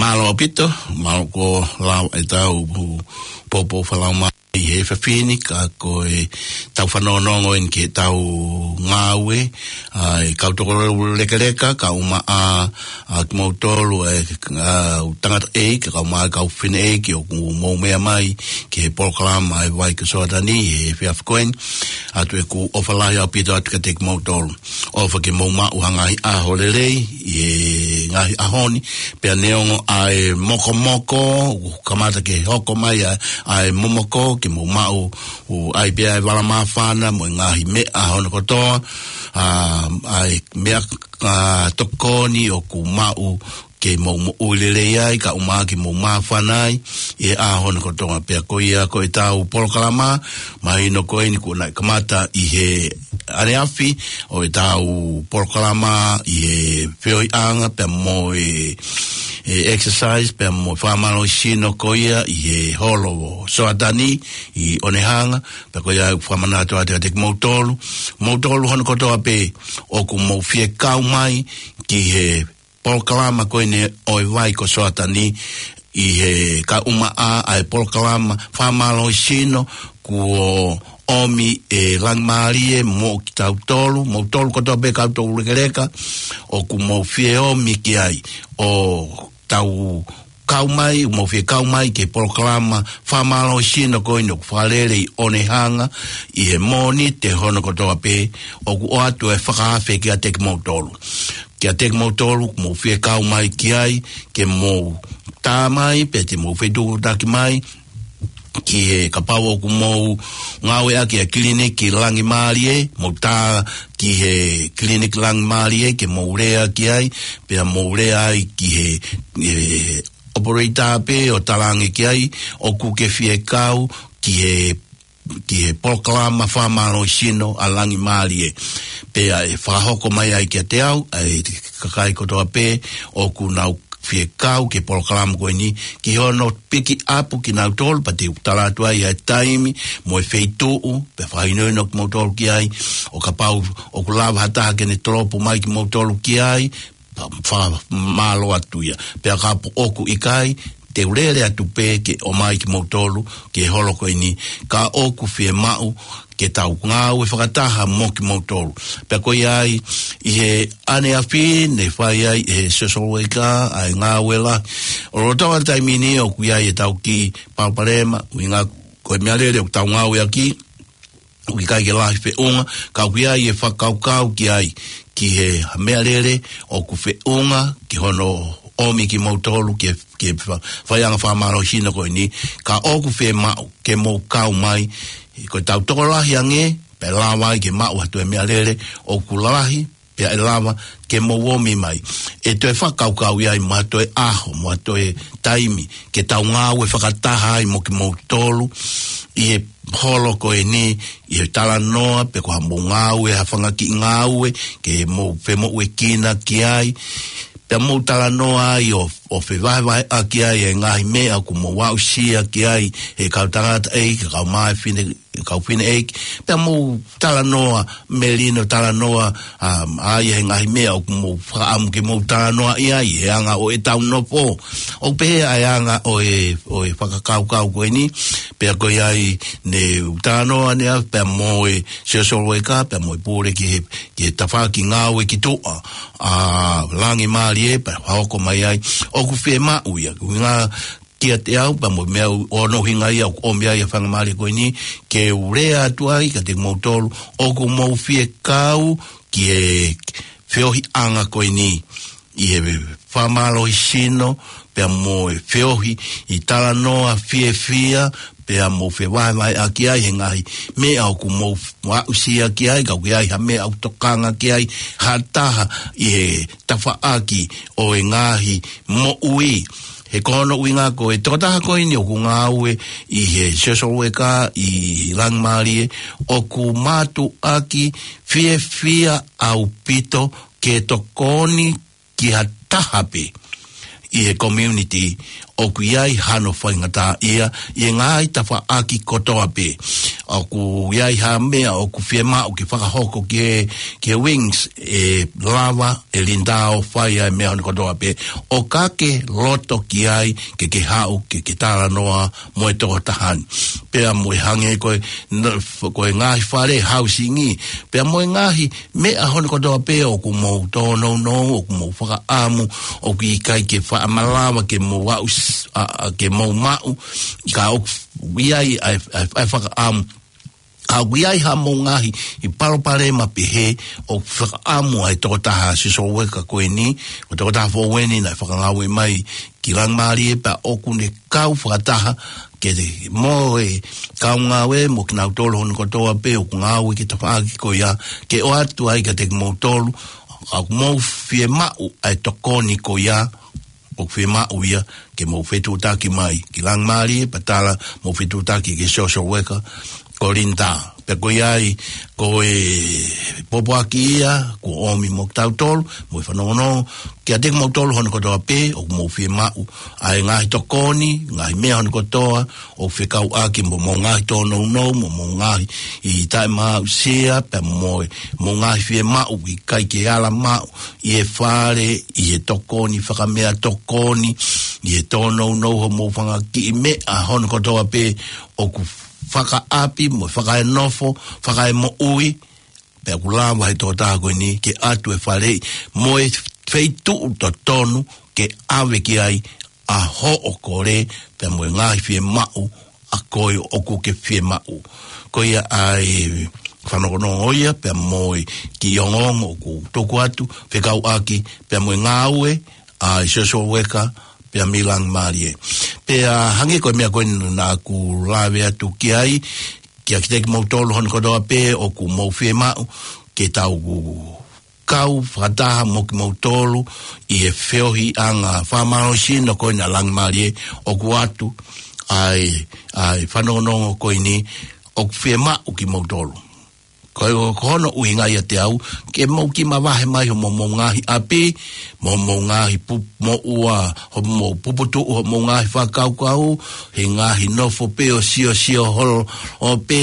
Mālō ʻaupito, mālō ko lau e tau pu-, poupou fakalaumālie he efiafi ni, ka ko e tau fanongonongo eni ki he tau ngāue, ʻa e kau tokolahi lekeleka, kau maʻa, ʻa kimoutolu, ʻa e, ʻa, tangataʻeiki, kau maʻa, kau fineʻeiki, ʻoku mou meʻa mai ki he polokalama ʻa e Vai ko Soatani, he efiafi ko eni, ʻoatu ʻeku ʻofa lahi ʻaupito atu kiate kimoutolu. ʻOfa ke mou maʻu ha ngaahi ʻaho lelei ʻi he ngaahi ʻaho ni, pea neongo ʻa e mokomoko, ʻoku kamata ke hoko mai ʻa, ʻa e momoko, ke mou maʻu, ʻoku ʻi ai pē ʻa e vala māfana mo e ngaahi meʻa hono kotoa, ʻa, ʻa e meʻa, ʻa, tokoni ʻoku maʻu ke mou moʻui lelei ai, kau maʻa ke mou māfana ai, ʻi he ʻaho ni kotoa. Pea ko ia ko e tau polokalama, mahino ko eni kuo nau kamata ʻi he ʻaneafi, ʻo e tau polokalama ʻi he feohiʻanga, pea mo e, e exercise, pea mo e fakamālohisino ko ia ʻi he holo ʻo Soatani ʻi ʻOnehanga, pea ko ia ʻoku fakamanatu atu kiate kimoutolu, moutolu hono kotoa pē ʻoku mou fie kau mai ki he polokalama ko eni ʻo e Vai ko Soatani ʻi he kau maʻa ʻa e polokalama fakamālohisino kuo ʻomi ʻe Langimālie mo kitautolu, moutolu kotoa pē kau tokolahi lekeleka, ʻoku mou fie ʻomi ki ai ʻo tau kau mai, mou fie kau mai ki he polokalama fakamālohisino ko eni ʻoku fakalele ʻi ʻOnehanga ʻi he Mōnite hono kotoa pē, ʻoku ʻoatu e fakaafe kiate kimoutolu. Kiate kimoutolu, mou fie kau mai ki ai, ke mou tā mai, pe te mou fetuʻutaki mai, ki he kapau ʻoku mou ngāueʻaki ʻa e kiliniki Langimālie, mou tā ki he kiliniki Langimālie, ke mou lea ki ai, pea mou lea ai ki he, he operator pē ʻo talaange ki ai, ʻoku ke fie kau ki he ki he polokalama fakamālohisino ʻa Langimālie. Pea ʻe fakahoko mai ai kiate au, ʻa e kakai kotoa pē ʻoku nau fie kau ki he polokalama ko eni, ki hono piki ʻapu kinautolu, pea te u tala atu ai ʻa e taimi, mo e feituʻu, pea fakahinohino kimoutolu ki ai, ʻo kapau ʻoku lava ha taha ke ne tolopu mai kimoutolu ki ai, fa-, fa-, mālō atu ia. Pea kapau ʻoku ʻikai, te u lele atu pē ke ʻomai kimoutolu, ki he holo ko eni, ka ʻoku fie maʻu, ke tau ngāue fakataha mo kimoutolu. Pea ko ia ai, ʻi he ʻaneafi, ne fai ai, he social worker, ʻa e ngāue lahi. ʻO lolotonga taimi ni ʻoku ʻi ai e tau kiʻi palopalema, ʻuhinga ko e meʻa lele ʻoku tau ngāueʻaki, ʻoku ʻikai ke lahi feʻunga, ka ʻoku ʻi ai e fakakaukau ki ai, ki he meʻalele ʻoku feʻunga, ki hono ʻomi kimoutolu, ki he, ki he fa-, faiʻanga fakamālohisino ko eni, ka ʻoku fie maʻu, ke mou kau mai, ko e tau tokolahi ange, pea lava ai ke maʻu ha toe meʻalele, ʻoku lalahi, pea ʻe lava ke mou ʻomi mai. ʻE toe fakakaukau ia ʻi ha toe ʻaho, mo ha toe taimi, ke tau ngāue fakataha ai mo kimoutolu, ʻi he holo ko eni, ʻi he talanoa, pe ko ha mou ngāue, ha fanga kiʻi ngāue, ke mou femoʻuekina ki ai, pea mou talanoa ai ʻo, ʻo fevahevaheʻaki ai e ngaahi meʻa ʻoku mou aʻusia ki ai, he kau tangataʻeiki, kau maʻa e fine, kau fineʻeiki, pea mou talanoa, melino talanoa, um, ʻa ia he ngaahi meʻa ʻoku mou fakaʻamu ke mou talanoaʻi ai, he anga ʻo e tau nofo. ʻOku pehē ʻa e anga ʻo e, ʻo e fakakaukau ko eni, pea ko ia ai ne u talanoa ʻaneafi, pea mo e social worker, pea mo e pule ki he, ki he tafaʻaki ngāue ki tuʻa, ʻa Langimālie, pea hoko mai ai, ʻoku fie maʻu ia, ʻuhinga kiate au, pea mo e meʻa ʻoku ou ʻuhinga ia, ʻoku ʻomi ai ʻa e faingamālie ko eni, ke u lea atu ai, kiate kimoutolu, ʻoku mou fie kau, ki he feohiʻanga ko eni, ʻi he fakamālohisino, pea mo e feohi, ʻi talanoa fiefia, pea mou fevahevaheʻaki ai, he ngaahi meʻa ʻoku mou aʻusia ki ai, ka ʻoku ʻi ai ha meʻa ʻoku tokanga ki ai, ha taha ʻi he tafaʻaki ʻo e ngaahi moʻui. He ko hono ʻuhinga ko e tokotaha ko eni ʻoku ngāue ʻi he social worker ʻi Langimālie, ʻoku mātuʻaki fiefia ʻaupito ke tokoni ki ha taha pē ʻi he community ʻoku ʻi ai hano faingataʻaʻia ʻi he ngaahi tafaʻaki kotoa pē. ʻOku ʻi ai ha meʻa ʻoku fiemaʻu ke fakahoko ki he, ki he Wings, ʻe lava ʻe Linda ʻo fai ʻa e meʻa hono kotoa pē. ʻO ka ke loto ki ai, ke ke haʻu, ke ke talanoa mo e tokotaha ni. Pea mo e hangē ko e, n-, f-, ko e ngaahi fale hausingi. Pea mo e ngaahi meʻa hono kotoa pē ʻoku mou tōnounou, ʻoku mou fakaʻamu, ʻoku ʻikai ke faʻa malava ke mou aʻu s-, ʻa, ʻa, ke mou maʻu, ka ʻoku ʻi ai ʻa e, ʻa e, ʻa e fakaʻamu. Ka ʻoku ʻi ai ha mou ngaahi ʻi palopalema pehē, ʻoku fakaʻamu ʻa e tokotaha social worker ko eni, ʻo e tokotaha foʻou eni naʻe fakangāue mai ki Langimālie pea ʻoku ne kau fakataha ke te mo e kau ngāue mo kinautolu hono kotoa pē ʻoku ngāue ki he tafaʻaki ko ia ke ʻoatu ai kiate kimoutolu, ʻoku mou fiemaʻu ʻa e tokoni ko ia, ʻoku fiemaʻu ia ke mou fetuʻutaki mai ki Langimālie pea tala mou fetuʻutaki ki he social worker ko Linda. Pea ko ia ai, ko e pōpoaki ia, kuo ʻomi mo kitautolu, mo e fanongonongo, kiate kimoutolu hono kotoa pē, ʻoku mou fiemaʻu ʻa e ngaahi tokoni, ngaahi meʻa hono kotoa, ʻoku fekauʻaki mo hoʻomou ngaahi tōnounou, mo hoʻomou ngaahi ʻi taʻemaʻusia, pea mo e, mo e ngaahi fiemaʻu ʻikai ke ala maʻu ʻi he fale, ʻi he tokoni fakameʻatokoni, ʻi he tōnounou hoʻomou fanga kiʻi meʻa hono kotoa pē, ʻoku fakaʻapi mo fakaenofo, fakaemoʻui, pea ʻoku lava he tokotaha ko eni ke ʻoatu e faleʻi mo e feituʻu totonu ke ʻave ki ai ʻa hoʻo kole, pea mo e ngaahi fiemaʻu ʻa koe ʻoku ke fiemaʻu. Ko ia ʻa e fanongonongo ia, pea mo e kiʻi ongoongo ʻoku tuku atu, fekauʻaki, pea mo e ngāue ʻa e social worker, pea mei Langimālie. Pea hangē ko e meʻa ko eni naʻa ku lave atu ki ai, kiate kimoutolu hono kotoa pē ʻoku mou fiemaʻu ke tau kau fakataha mo kimoutolu ʻi he feohiʻanga fakamālohisino ko ena ʻa Langimālie, ʻoku ʻoatu ʻa e, ʻa e fanongonongo ko eni ʻoku fiemaʻu kimoutolu. Ko e, ko hono ʻuhinga ia ʻiate au, ke mou kiʻi mavahe mai hoʻomou ngaahi ʻapi, mo hoʻomou ngaahi pu-, moʻua, hoʻomou puputuʻu, hoʻomou ngaahi fakakaukau, he ngaahi nofo pē ʻo siosio holo ʻo pē,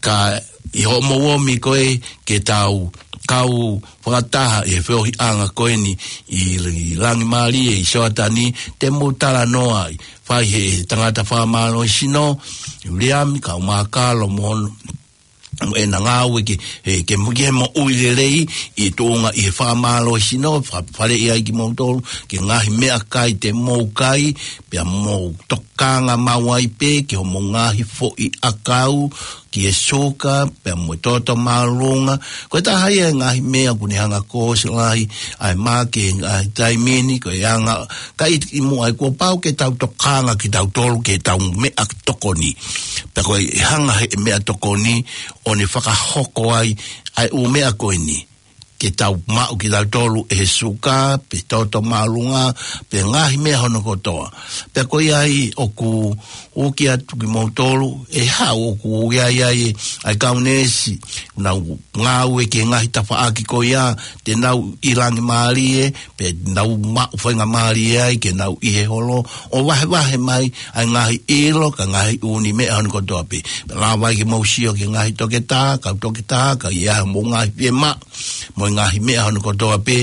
ka ʻi hoʻomou ʻomi ko ē ke tau kau fakataha ʻi he feohiʻanga ko eni ʻi, ʻi Langimālie ʻi Soatani, te mou talanoa ai, fai he tangata fakamālohisino, Uliami, kau mākalo mo hono, mo ʻena ngāue ke, he, ke mo-, ke moʻui lelei ʻi tuʻunga ʻi he fakamālohisino, fa-, faleʻi ai kimoutolu, ki he ngaahi meʻakai te mou kai, pea mou tokanga maʻu ai pē ki hoʻomou ngaahi foʻi ʻakau, ki he suka, pea mo e toto māʻolunga. Ko e taha ia e ngaahi meʻa ʻoku ne hanga ʻo ʻosi lahi ʻa e mā ki he ngaahi taimi ni, ko e anga, ka ʻi, ʻi muʻa ai kuo pau ke tau tokanga kitautolu ki heʻetau meʻatokoni. Pea ko e hanga he meʻatokoni ʻo ne fakahoko ai ʻa e ʻū meʻa ko eni ke tau maʻu kitautolu ʻe he suka, pe toto māʻolunga, pe ngaahi meʻa hono kotoa. Pea ko ia ai ʻoku ʻuki atu kimoutolu, ʻe haʻu ʻoku ʻi ai ai ʻa e kau neesi, nau ngāue ki he ngaahi tafaʻaki ko ia, te nau ʻi Langimālie, pe nau maʻu faingamālie ai, ke nau ʻi he holo, ʻo vahevahe mai ʻa e ngaahi ʻilo, ka ngaahi ʻū meʻa hono kotoa pē. Pea lava ai ke mou sio ki he ngaahi toketā, kau toketā, ka ʻi ai hoʻomou ngaahi fiemaʻu, mo e ngaahi meʻa hono kotoa pē,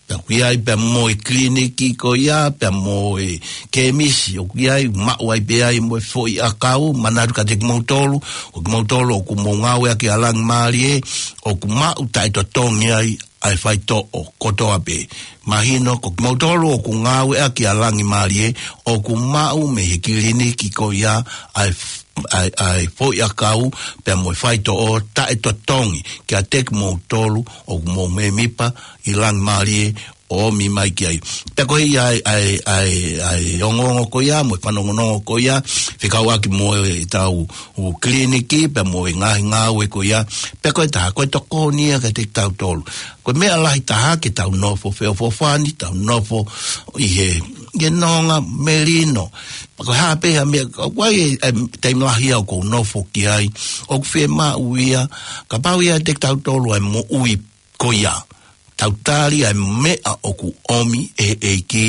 pea ʻoku ʻi ai pea mo e kiliniki ko ia, pea mo e kemisi, ʻoku ʻi ai, maʻu ai pē ai mo e foʻi ʻakau, manatu kiate kimoutolu, ko kimoutolu ʻoku mou ngāueʻaki ʻa Langimālie, ʻoku maʻu taʻetotongi ai ʻa e faitoʻo kotoa pē. Mahino, ko kimoutolu ʻoku ngāueʻaki ʻa Langimālie, ʻoku maʻu mei he kiliniki ko ia ʻa e f-, ʻa e, ʻa e foʻi ʻakau, pea mo e faitoʻo taʻetotongi kiate kimoutolu ʻoku mou mēmipa ʻi Langimālie ʻo ʻomi mai ki ai. Pea ko ia ʻa e, ʻa e, ʻa e, ʻa e ongoongo ko ia, mo e fanongonongo ko ia, fekauʻaki mo ʻetau ʻū kiliniki, pea mo e ngaahi ngāue ko ia, pea ko e taha, ko e tokoni ia kiate kitautolu. Ko e meʻa lahi taha ke tau nofo feʻofoʻofani, tau nofo ʻi he, ʻi he nonga melino. Pea ko e hā pē ha meʻa, ʻoku ʻi ai e, e taimi lahi ia ʻoku ou nofo ki ai, ʻoku fiemaʻu ia, kapau ʻe ʻiate kitautolu ʻa e moʻui ko ia. Tau tali ʻa e meʻa ʻoku ʻomi ʻe he ʻEiki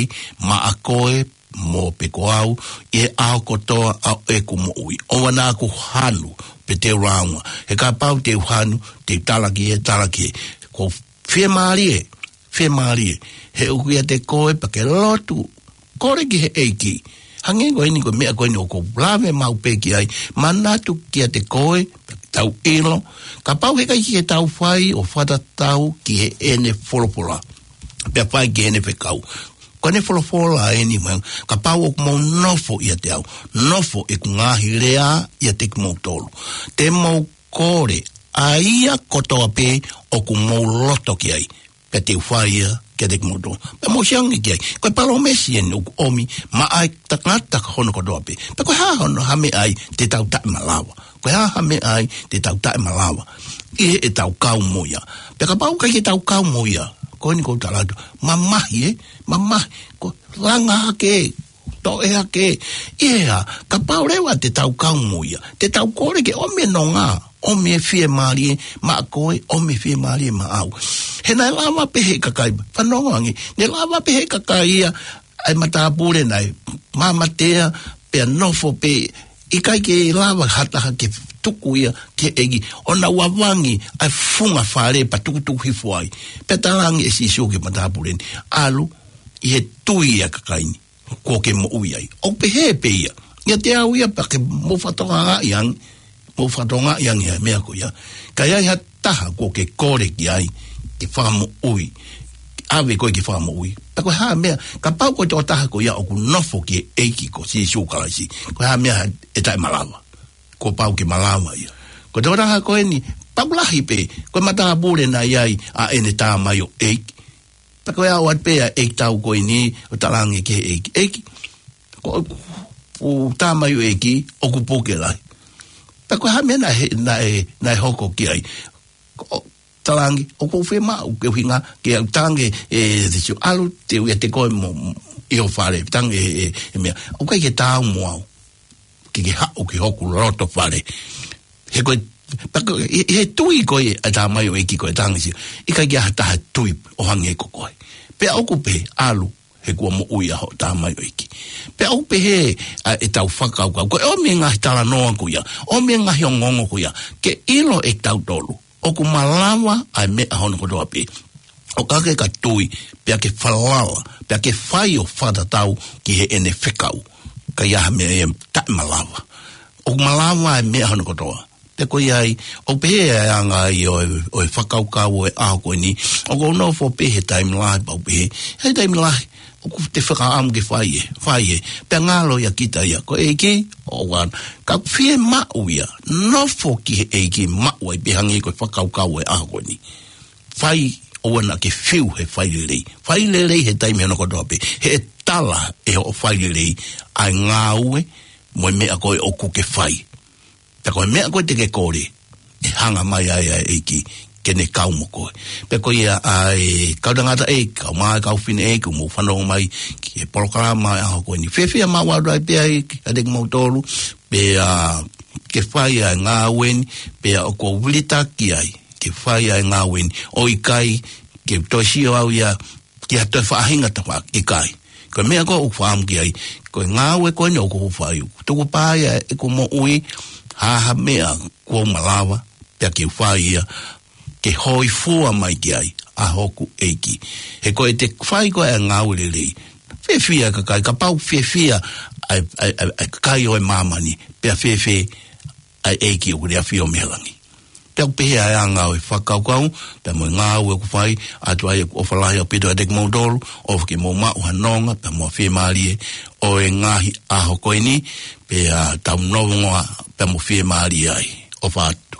maʻa koe, mo pē ko au, ʻi he ʻaho kotoa ʻa ʻeku moʻui. ʻOua naʻa ku hanu, pe te u lāunga. He kapau te u hanu, te u talaki ē, talaki ē. Ko fiemālie, fiemālie. He ʻoku ʻiate koe pea ke lotu, kole ki he ʻEiki. Hangē ko eni ko e meʻa ko eni ʻoku ou lave maʻu pē ki ai, manatu kiate koe, tau ʻilo, kapau heʻikai ke tau fai ʻo fakatatau ki heʻene folofola, pea fai ki heʻene fekau. Ko ʻene folofola eni mai, kapau ʻoku mou nofo ʻiate au, nofo ʻeku ngaahi lea ʻiate kimoutolu, te mou kole ʻa ia kotoa pē ʻoku mou loto ki ai, pea te u fai ia kiate kimoutolu. Pea mou sio ange ki ai. Ko e palōmesi eni ʻoku ʻomi maʻa e tangata hono kotoa pē. Pea ko e hā hono, ha meʻa ai te tau taʻemalava? Ko e hā ha meʻa ai te tau taʻemalava ʻi heʻetau kau mo ia? Pea kapau ʻikai ke tau kau mo ia, ko eni ʻoku ou tala atu, mamahi ē, mamahi, ko e langa hake, toʻe hake. ʻI he hā, kapau leva te tau kau mo ia, te tau kole ke ʻomi e nonga, ʻomi e fiemālie maʻa koe, ʻomi e fiemālie maʻau. He naʻe lava pē ʻe he kakai, fanongo ange, naʻe lava pē ʻe he kakai ia ʻa e matāpule naʻe mamatea, pea nofo pē, ʻikai ke lava ha taha ke tuku ia ki he ʻEiki, ʻo nau ʻavangi ʻa e funga fale pea tukutuku hifo ai. Pea talaange ʻe Sīsū ki he matāpule ni, ʻalu, ʻi he tui ʻa e kakai ni, kuo ke moʻui ai. ʻOku pehē pē ia. ʻIate au ia pea ke mou fakatokangaʻi ange, mou fakatokangaʻi ange ʻa e meʻa ko ia. Ka ʻi ai ha taha kuo ke kole ki ai ke fakamoʻui, ʻave koe ke fakamoʻui, pea ko e hā meʻa, kapau ko e tokotaha ko ia ʻoku nofo ki he ʻEiki ko Sīsū Kalaisi, ko e hā meʻa ʻe taʻemalava? Kuo pau ke malava ia. Ko e tokotaha ko eni, pau lahi pē, ko e matāpule naʻe ʻi ai ʻa ʻene tamaioʻeiki. Pea ko e ʻalu atu pē ʻa e ʻeikitau ko eni ʻo talaange ki he ʻeiki, ʻEiki, ko ʻeku tamaioʻeiki ʻoku puke lahi. Pea ko e hā meʻa naʻe, naʻe, naʻe hoko ki ai? Ko e talaange, ʻoku ou fiemaʻu ke u hinga, ke u talaange ʻe Sīsū, ʻalu, te u ʻiate koe mo, ʻi ho fale, talaange ʻe, ʻe, ʻe meʻa, ʻoku ʻikai ke taau mo au ke ke haʻu ki hoku loto fale. He ko e, pea ko e, ʻi, ʻi he tui ko ē ʻa e tamaioʻeiki ko ē, talaange ʻe Sīsū, ʻikai ke ʻi ai ha taha tui ʻo hangē ko koe. Pea ʻoku pehē, ʻalu, he kuo moʻui ʻa hoʻo tamaioʻeiki. Pea ʻoku pehē ʻa ʻetau fakakaukau. Ko e ʻomi e ngaahi talanoa ko ia, ʻomi e ngaahi ongoongo ko ia, ke ʻilo ʻe kitautolu ʻoku malava ʻa e meʻa hono kotoa pē. ʻOka ke ka tui, pea ke falala, pea ke fai ʻo fakatatau ki heʻene fekau, ka ʻi ai ha meʻa ia ʻe taʻemalava. ʻOku malava ʻa e meʻa hono kotoa. Pea ko ia ai, ʻoku pehē ʻa e anga ia ʻo e, ʻo e fakakaukau ʻo e ʻaho ko eni, ʻoku ou nofo pē he taimi lahi pea u pehē, he taimi lahi, ʻoku te fakaʻamu ke fai ē, fai ē, pea ngalo ia kita ia, ko e ʻEiki, ʻoua, ka fiemaʻu ia, nofo ki he ʻEiki maʻu ai pē hangē ko e fakakaukau ʻo e ʻaho ko eni. Fai, ʻoua naʻa ke fiu he fai lelei. Fai lelei he taimi hono kotoa pē, he ʻe tala ʻe hoʻo fai lelei ʻa e ngāue mo e meʻa ko ē ʻoku ke fai. Pea ko e meʻa ko ē te ke kole, ʻe hanga mai ai ʻa e ʻEiki ke ne kau mo koe. Pea ko ia ʻa e kau tangataʻeiki, kau mā, kau fineʻeiki, ʻoku mou fanongo mai ki he polokalama ʻo e ʻaho ko eni. Fiefia maʻu atu ai pē ai kiate kimoutolu, pea ke fai ʻa e ngāue ni, pea ʻoku ou vilitaki ai ke fai ʻa e ngāue ni, ʻo ʻikai ke toe sio au ia ki ha toe faʻahinga tafaʻaki, ʻikai. Ko e meʻa ko ē ʻoku ou fakaʻamu ki ai, ko e ngāue ko eni ʻoku ou fai, ʻoku tuku pē ia ʻeku moʻui, ha ha meʻa kuo u malava, pea ke u fai ia, ke hōifua mai ki ai ʻa hoku ʻEiki. He ko ʻete fai ko ē ʻa e ngāue lelei, fiefia e kakai, kapau fiefia ʻa e, ʻa e, ʻa e, ʻa e kakai ʻo e māmani, pea fēfē ʻa e ʻEiki ʻoku ne ʻafio mei he langi. Pea ʻoku pehē ʻa e anga ʻo e fakakaukau, pea mo e ngāue ʻoku fai, ʻoatu ai ʻeku ʻofa lahi ʻaupito kiate kimoutolu, ʻofa ke mou maʻu ha nonga, pea mo e fiemālie ʻo e ngaahi ʻaho ko eni, pea tau nonga, pea mo fiemālie ai. ʻOfa atu.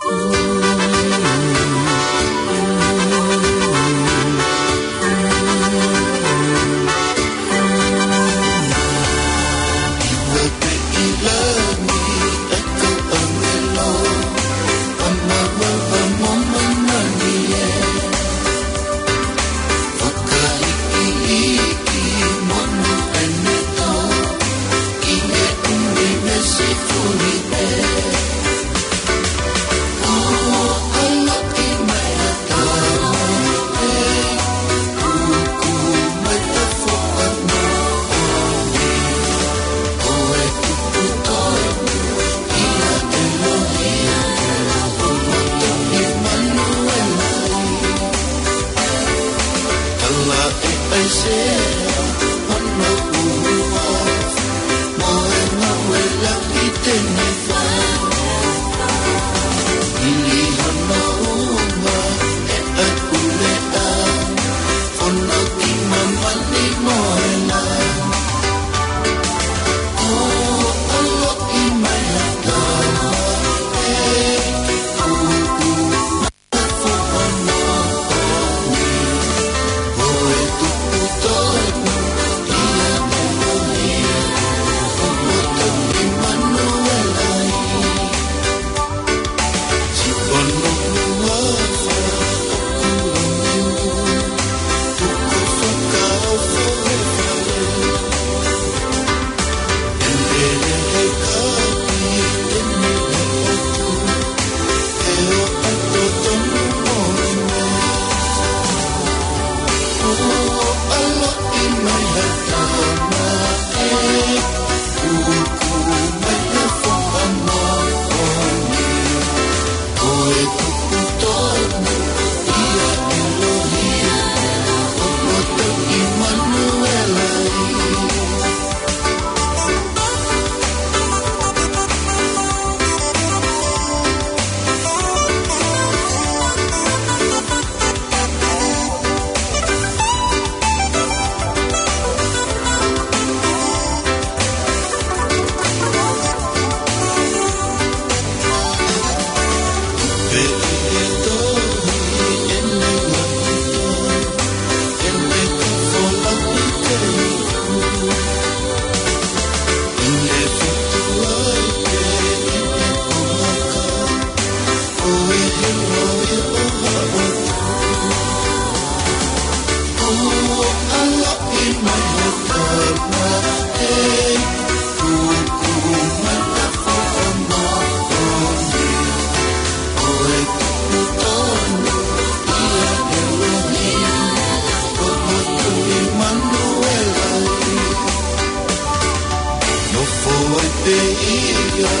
Nofo ai pē ia,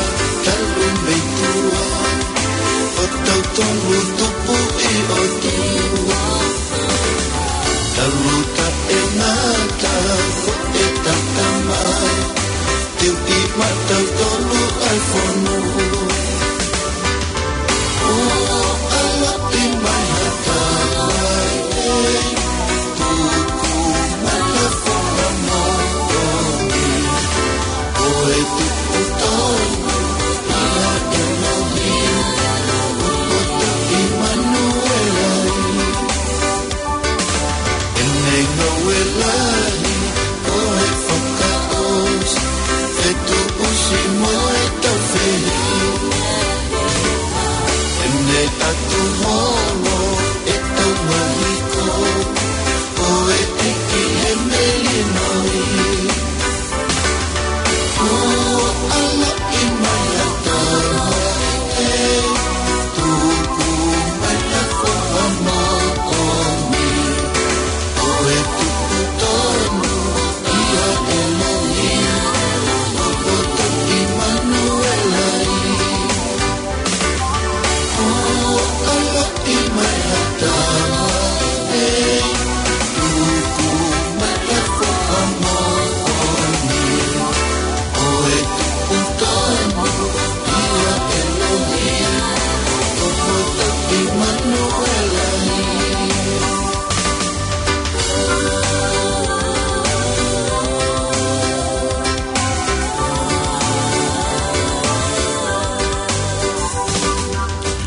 talu mei tuʻa, ʻo tautolu tupu ʻi ʻOtua. Talu taʻengata, ko e tatamai, teu ʻi maʻatautolu ʻa e fonua. Ene ngāue lahi, ko e fakaʻosi, fetuʻusi mo e taufehiʻa. Ene ʻatu holo, ʻetau mahiko, ko e ʻEiki he melino.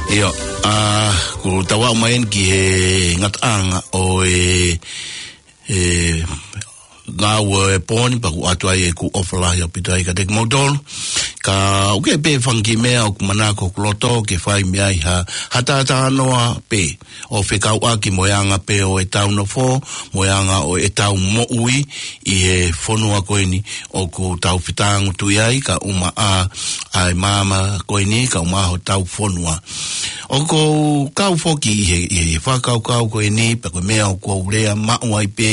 ʻIo, ʻa, ʻoku tau aʻu mai eni ki he ngataʻanga ʻo e, e, ngāue ʻo e pō ni, pea ʻoku ʻoatu ai ʻeku ʻofa lahi ʻaupito ai kiate kimoutolu. Ka ʻoku ʻi ai pē fanga kiʻi meʻa ʻoku manako hoku loto ke fai mei ai ha, ha talanoa pē ʻo fekauʻaki mo e anga pē ʻo ʻetau nofo, mo e anga ʻo ʻetau moʻui ʻi he fonua ko eni ʻoku tau fetāngutuʻi ai, kae ʻumaʻā ʻa e māmani ko eni, kae ʻumaʻā hotau fonua. ʻOku ou kau foki ʻi he, ʻi he fakakaukau ko eni, pea ko e meʻa ʻoku ou lea maʻu ai pē,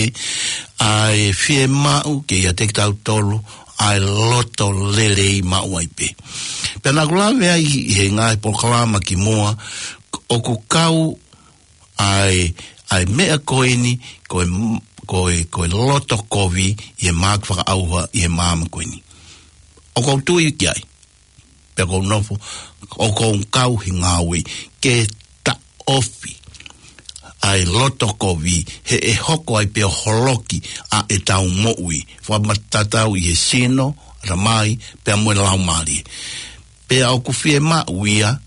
ʻa e fiemaʻu ke ʻiate kitautolu ʻa e loto lelei maʻu ai pē. Pea naʻa ku lave ai ʻi he ngaahi polokalama kimuʻa, ʻoku kau ʻa e, ʻa ʻa e meʻa ko eni, ko e, ko e, ko e loto kovi ʻi he māki fakaʻauha ʻi he māmani ko eni. ʻOku ou tui ki ai, pea ʻoku ou nofo, ʻoku ou kau he ngāue ke taʻofi ʻa e loto kovi, he ʻe hoko ai pē ʻo holoki ʻa ʻetau moʻui. Fakamatala ʻi he sino, ʻatamai, pea mo e laumālie. Pea ʻoku fiemaʻu ia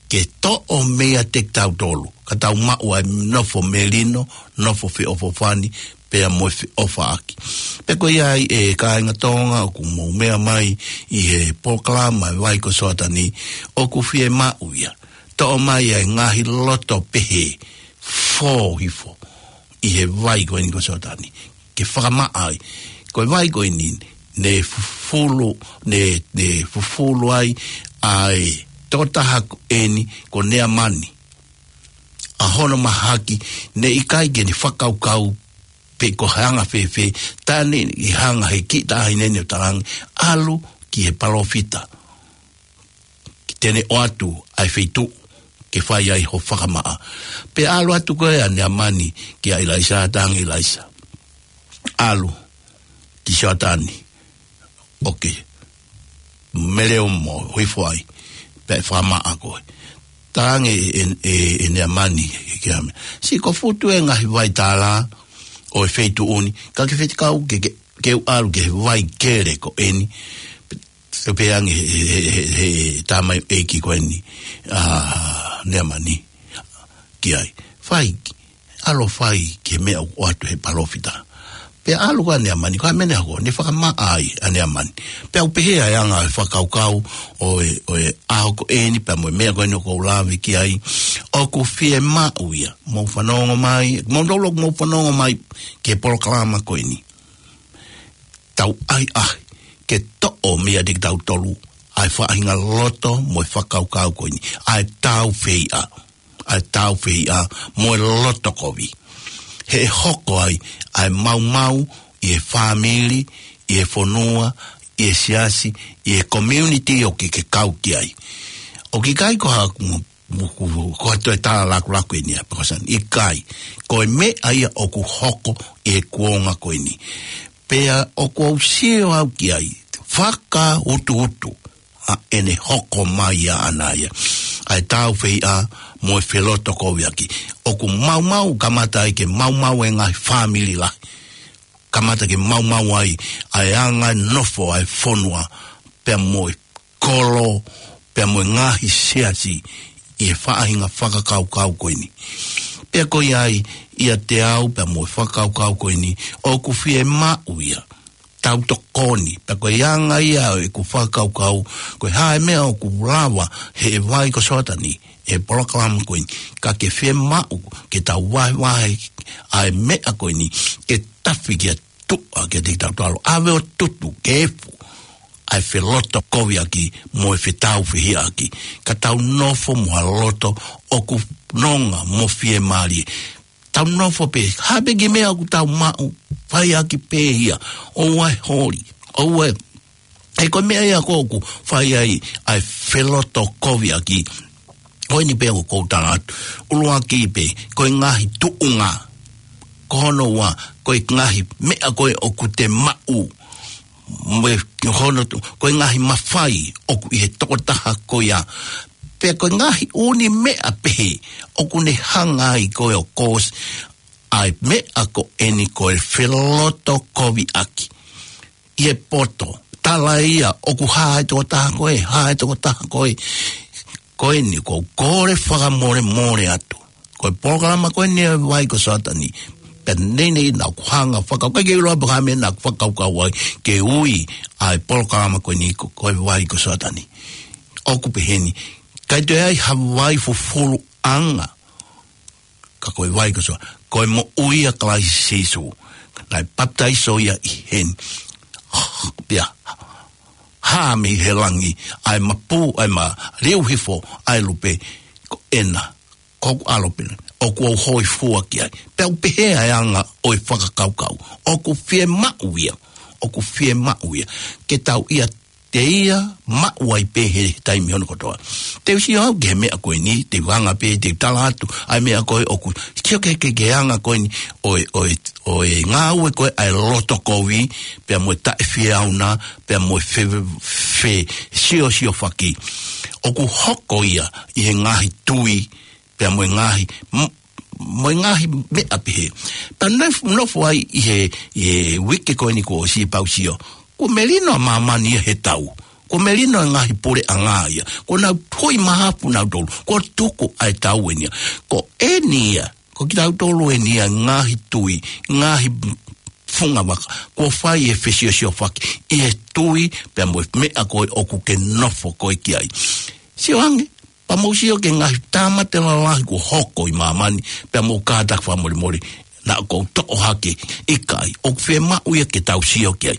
ke toʻo meiate kitautolu, ka tau maʻu ʻa e nofo melino, nofo feʻofoʻofani, pea mo e feʻofaʻaki. Pea ko ia ai ʻe kāinga Tonga ʻoku mou meʻa mai ʻi he polokalama ʻa e Vai ko Soatani, ʻoku fiemaʻu ia. Toʻo mai ʻa e ngaahi loto pehē, fō hifo ʻi he vai ko eni ko Soatani. Ke fakamaʻa ai. Ko e vai ko eni, ne fufulu, ne, ne fufulu ai ʻa e tokotaha ko eni ko Neamani. ʻA hono mahaki, ne ʻikai ke ne fakakaukau pe ko e hanga fēfē, tā ne ʻi hanga he kiʻi taʻahine ne ʻo talaange, ʻalu ki he palōfita, ke ne ʻoatu ʻa e feituʻu ke fai ai ho fakamaʻa. Pea ʻalu atu ko ē ʻa Neamani kia ʻIlaisa, talaange ʻe ʻIlaisa, ʻalu ki Soatani, ʻoku ke mele ʻo mo hifo ai, pea ʻe fakamaʻa koe. Talaange ʻe, ʻe, ʻe, ʻe Neamani kia meʻa, siʻi ko e futu e ngaahi vai tālā ʻo e feituʻu ni, ka ke fekau ke, ke, ke u ʻalu ki he vai kele ko eni. Pea pehē ange he, he, he, he, he tamaioʻeiki ko eni, ʻa Neamani, ki ai. Fai, ʻalu fai ki he meʻa ʻoku ʻoatu he palōfita. Pea ʻalu ko ē ʻa Neamani, ko e meʻa ne hoko, ne fakamaʻa ai ʻa Neamani. Pea ʻoku pehē ʻa e anga e fakakaukau ʻo e, ʻo e ʻaho ko eni, pea mo e meʻa ko eni ʻoku ou lave ki ai, ʻoku fiemaʻu ia. Mou fanongo mai, mou tolu ʻoku mou fanongo mai ki he polokalama ko eni. Tau ʻai ʻai ke toʻo meiate kitautolu ʻa e faʻahinga loto mo e fakakaukau ko eni, ʻa e tāufehiʻa, ʻa e tāufehiʻa mo e loto kovi. He ʻe hoko ai ʻa e maumau ʻi he fāmili, ʻi he fonua, ʻi he siasi, ʻi he community ʻoku ke kau ki ai. ʻOku ʻikai ko haku mo, mo ku, ko ha toe tala lakulaku eni ʻa Pekosan. ʻIkai, ko e meʻa ia ʻoku hoko ʻi he kuonga ko eni. Pea ʻoku ou sio au ki ai, fakautuutu ʻa ʻene hoko mai ʻaʻana ia, ʻa e tāufehiʻa mo e felotokoviʻaki. ʻOku maumau, kamata ai ke maumau e ngaahi fāmili lahi. Kamata ke maumau ai ʻa e anga nofo ʻa e fonua, pea mo e kolo, pea mo e ngaahi siasi ʻi he faʻahinga fakakaukau ko eni. Pea ko ia ai, ʻiate au, pea mo e fakakaukau ko eni, ʻoku fiemaʻu ia tau tokoni, pea ko e anga ia ʻeku fakakaukau, ko e hā e meʻa ʻoku lava he Vai ko Soatani, he polokalama ko eni, ka ke fiemaʻu ke tau vahevahe ʻa e meʻa ko eni, ke tafi ki ha tuʻa kiate kitautolu, ʻave ʻo tutu, ke efu ʻa e felotokoviʻaki mo e fetāufehiʻaki, ka tau nofo mo ha loto ʻoku nonga mo fiemālie. Tau nofo pē, hā pē kiʻi meʻa ʻoku tau maʻu, fai ʻaki pē ia, ʻoua ʻe holi, ʻoua ʻe, he ko e meʻa ia ko ē ʻoku fai ai ʻa e felotokoviʻaki. Ko eni pē ʻoku ou tala atu. ʻUluaki pē, ko e ngaahi tuʻunga. Ko hono ua, ko e ngaahi meʻa ko ē ʻoku te maʻu. Mo e hono tu-, ko e ngaahi mafai ʻoku ʻi he tokotaha ko ia. Pea ko e ngaahi ʻū meʻa pehē, ʻoku ne hanga ai ko ē ʻo cause ʻa e meʻa ko eni ko e felotokoviʻaki. ʻI he poto, tala ia, ʻoku hā e tokotaha ko ē, hā e tokotaha ko ē, ko eni ʻoku ou kole fakamolemole atu. Ko e polokalama ko eni ʻa e Vai ko Soatani, pea neʻineʻi naʻa ku hanga fakau-, ʻikai ke u ʻilo pe ko e hā e meʻa naʻa ku fakakaukau ai ke ui ʻa e polokalama ko eni ko, ko e Vai ko Soatani. ʻOku pehē ni, ʻikai toe ai ha vai fufuluʻanga, ka ko e Vai ko Soa, ko e moʻui ʻa Kalaisi Sīsū. Naʻe papitaiso ia ʻi heni. Pea hā mei he langi, ʻa e mapū, ʻa e maliu hifo ʻa e lupe, ko ena, ko hoku ʻAlo pē ena, ʻoku ou hōifua ki ai. Pea ʻoku pehē ʻa e anga ʻo e fakakaukau. ʻOku fiemaʻu ia, ʻoku fiemaʻu ia ke tau ʻia teia maʻu ai pē he taimi hono kotoa. Te u sio au ki he meʻa ko eni, te u anga pē, te u tala atu ʻa e meʻa ko ē ʻoku sio ki he, ki he anga ko eni ʻo e, ʻo e, ʻo e ngāue ko ē ʻa e loto kovi, pea mo e taʻefiefia, pea mo e fe, fesiosiofaki. ʻOku hoko ia ʻi he ngaahi tui, pea mo e ngaahi, m-, mo e ngaahi meʻa pehē. Pea nef-, nofo ai ʻi he, ʻi he uike ko eni kuo ʻosi pea u sio, kuo melino ʻa māmani ia he tau. Kuo melino e ngaahi puleʻanga ia. Kuo nau tui mahafu nautolu. Kuo tuku ʻa e tau eni ia. Ko eni ia, ko kitautolu eni ia ngaahi tui, ngaahi funga vaka. Kuo fai e fesiosiofaki ʻi he tui, pea mo e meʻa ko ē ʻoku ke nofo ko ē ki ai. Sio ange, pea mou sio ki he ngaahi tāmate lalahi kuo hoko ʻi māmani, pea mou kātaki fakamolemole, naʻa ʻoku ou toʻo hake, ʻikai, ʻoku fiemaʻu ia ke tau sio ki ai.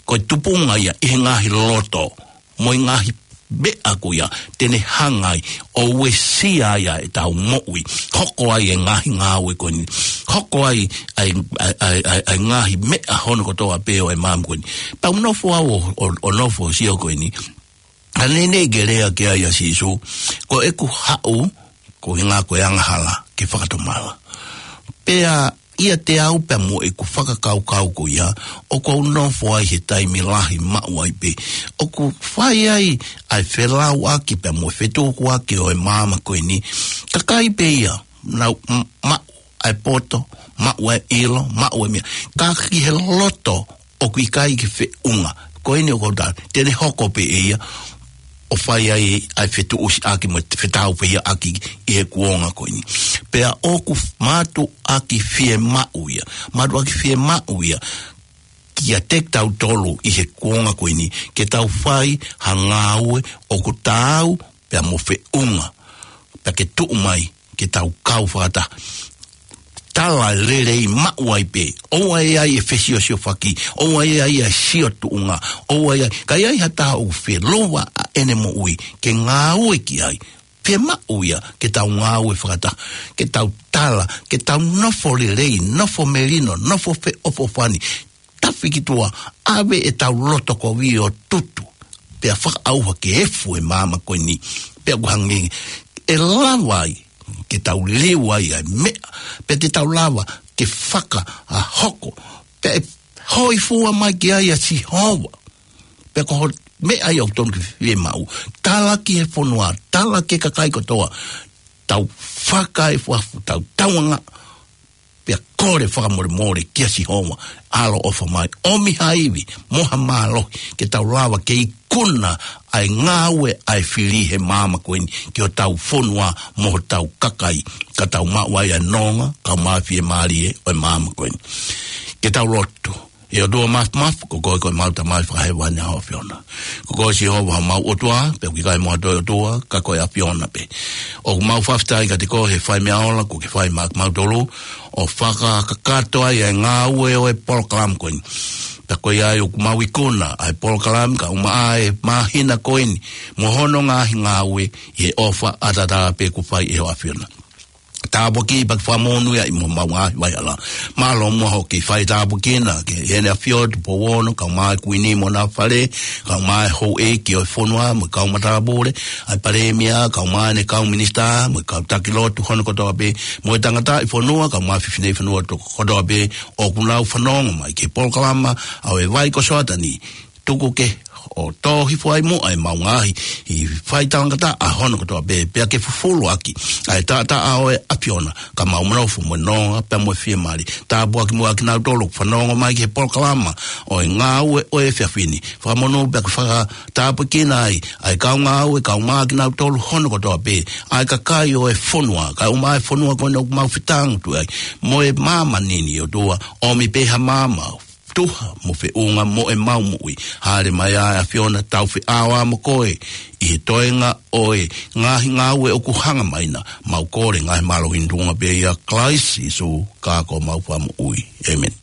Ko e tupunga ia ʻi he ngaahi loto, mo e ngaahi meʻa ko ia, te ne hanga ai ʻo uesia ai ʻa ʻetau moʻui, hoko ai e ngaahi ngāue ko eni, hoko ai ʻa e, ʻa e, ʻa e, ʻa e, ʻa e ngaahi meʻa hono kotoa pē ʻo e māmani ko eni. Pea u nofo au ʻo, ʻo, ʻo nofo sio ko eni, ʻa ē naʻe ke lea ki ai ʻa Sīsū, ko ʻeku haʻu, ko e ngāue ko e angahala, ke fakatomala. Pea ʻiate au pea mo ʻeku fakakaukau ko ia, ʻoku ou nofo ai he taimi lahi maʻu ai pē. ʻOku fai ai ʻa e felauʻaki pea mo e fetukuaki ʻo e māmani ko eni. Kakai pē ia, nau m-, maʻu ʻa e poto, maʻu ʻa e ʻilo, maʻu ʻa e meʻa. Ka ki he loto ʻoku ʻikai ke feʻunga. Ko eni ʻoku ou tala, te ne hoko pē ʻe ia, ʻo fai ai ʻa e fetuʻusiʻaki mo e fetauhiʻaki ʻi he kuonga ko eni. Pea ʻoku f-, mātuʻaki fiemaʻu ia. Mātuʻaki fiemaʻu ia. Kiate kitautolu ʻi he kuonga ko eni, ke tau fai ha ngāue ʻoku taau, pea mo feʻunga. Pea ke tuʻu mai, ke tau kau fakataha. Tala lelei maʻu ai pē. ʻOua ʻe ʻi ai e fesiosiofaki. ʻOua ʻe ʻi ai e sio tuʻunga. ʻOua ʻe ʻi ai. Ka ʻi ai ha taha ʻoku feʻunga ʻa ʻene moʻui, ke ngāue ki ai. Fiemaʻu ia, ke tau ngāue fakataha. Ke tau tala, ke tau nofo lelei, nofo melino, nofo feʻofoʻofani. Tafi ki tuʻa, ʻave ʻetau loto kovi ʻo tutu. Pea fakaʻauha ke efu e māmani ko eni. Pea ʻoku hangē, ʻe lava ai, ke tau liliu ai ʻa e meʻa. Pea te tau lava, ke faka, ʻa hoko. Pea ʻe hōifua mai ki ai ʻa Sihova. Pea ko ho meʻa ia ʻoku tonu ke fiemaʻu. Tala ki he fonua, tala ki he kakai kotoa. Tau fakaefuefu, tau tauanga. Pea kole fakamolemole kia Sihova, ʻaloʻofa mai, ʻomi ha ivi, mo ha mālohi, ke tau lava ke ikuna ʻa e ngāue ʻa e fili he māmani ko eni, ki hotau fonua, mo hotau kakai, ka tau maʻu ai ʻa e nonga, kae ʻumaʻā e fiemālie ʻo e māmani ko eni. Ke tau lotu. ʻE ʻOtua Mafimafi, ko koe ko ʻemau Tamai Fakahēvani ʻa ho ʻAfiona. Ko koe Sihova homau ʻOtua, pea ʻoku ʻikai mo ha toe ʻOtua, ka ko e ʻAfiona pē. ʻOku mau fakafetaʻi kiate koe he fai meʻa ola, kuo ke fai maʻa kimautolu, ʻo fakakakato ai ʻa e ngāue ʻo e polokalama ko eni. Pea ko ia ai ʻoku mau ikuna, ʻa e polokalama, kae ʻumaʻā e māhina ko eni, mo hono ngaahi ngāue, ʻi he ʻofa ʻataʻatā pē kuo fai ʻe ho ʻAfiona. Tāpuakiʻi pea ke fakamonūʻia ʻi homau ngaahi vaihala. Mālō muʻa hoʻo kei fai tāpuekina, ki Heʻene ʻAfio Tupou Ono, kae ʻumaʻā e Kuini mo hona fale, kae ʻumaʻā e houʻeiki ʻo e fonua, mo e kau matāpule, ʻa e Palēmia, kae ʻumaʻā ʻene kau minisitā, mo e kau taki lotu hono kotoa pē, mo e tangataʻi fonua, kae ʻumaʻā e fefine fonua to-, kotoa pē, ʻoku nau fanongo mai ki he polokalama, ʻa e Vai ko Soatani, tuku ke ʻo tō hifo ai muʻa ʻemau ngaahi, ʻi fai talangataʻa hono kotoa pē, pea ke fufulu ʻaki, ʻa e taʻataʻa ʻo e ʻAfiona, ka mau manofo mo e nonga, pea mo e fiemālie. Tāpuaki muʻa kinautolu, fanongo mai ki he polokalama, ʻo e ngāue ʻo e efiafi ni. Fakamonū pea ke fakatāpuekina ai, ʻa e kau ngāue, kae ʻumaʻā kinautolu hono kotoa pē, ʻa e kakai ʻo e fonua, kae ʻumaʻā e fonua ko eni ʻoku mau fetangutu ai, mo e māmani ni ʻOtua, ʻomi pē ha maama, tuha mo feʻunga mo ʻemau moʻui. Hāʻele mai ā e ʻAfiona tau feʻao ā mo koe. ʻI he toenga ʻo e ngaahi ngāue ʻoku hanga mai na. Mau kole ngaahi mālohi ni tuʻunga pē ʻia Kalaisi Sīsū ka ko homau Fakamoʻui. ʻĒmeni.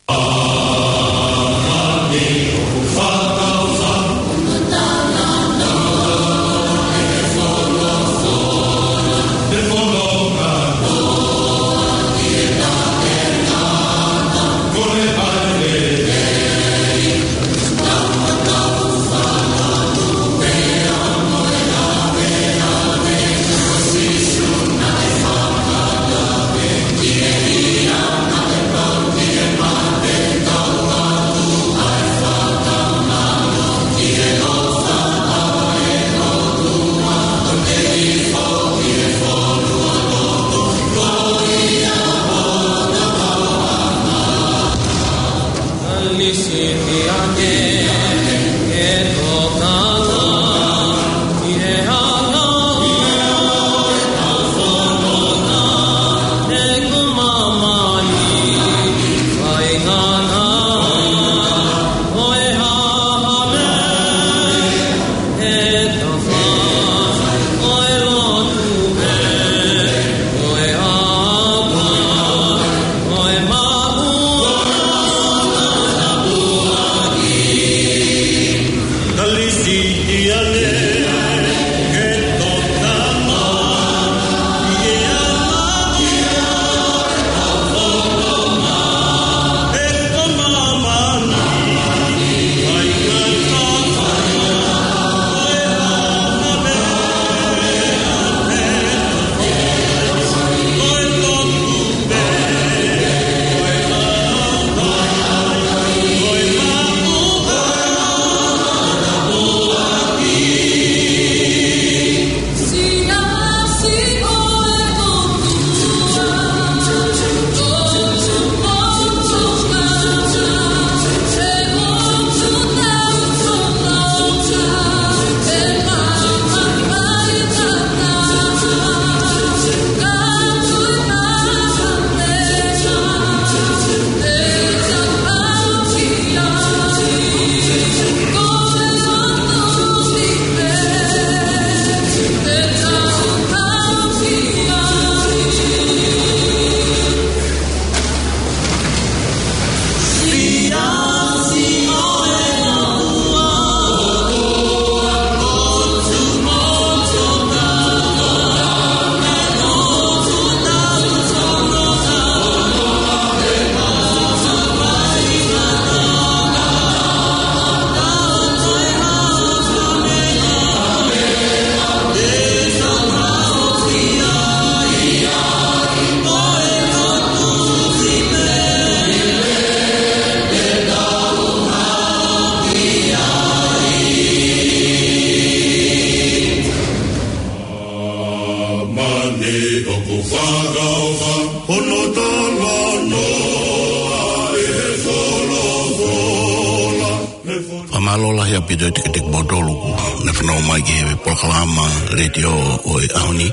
Mālō lahi ʻaupito atu kiate kimoutolu kuo nau fanongo mai ki he polokalama letiō ʻo e ʻaho ni.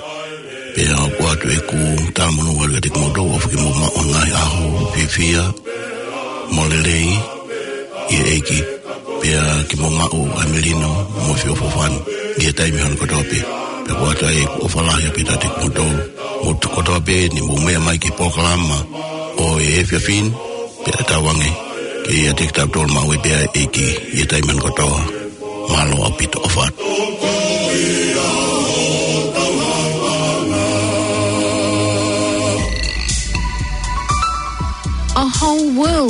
Pea ʻoku ʻoatu ʻeku talamonū kiate kimoutolu ʻofa ke mou maʻu ha ngaahi ʻaho fiefia mo lelei ʻi he ʻEiki. Pea ke mou maʻu ʻa e melino mo e feʻofoʻofani ʻi he taimi hono kotoa pē. Pea ʻoku ʻoatu ai ʻeku ʻofa lahi ʻaupito kiate kimoutolu. Mou tuku kotoa pē ni mou meʻa mai ki he polokalama ʻo e efiafi ni, pea tauange ke ʻiate kitautolu maʻu ai pē ʻa e ʻEiki ʻi he taimi hono kotoa. Mālō ʻaupito, ʻofa atu. A whole world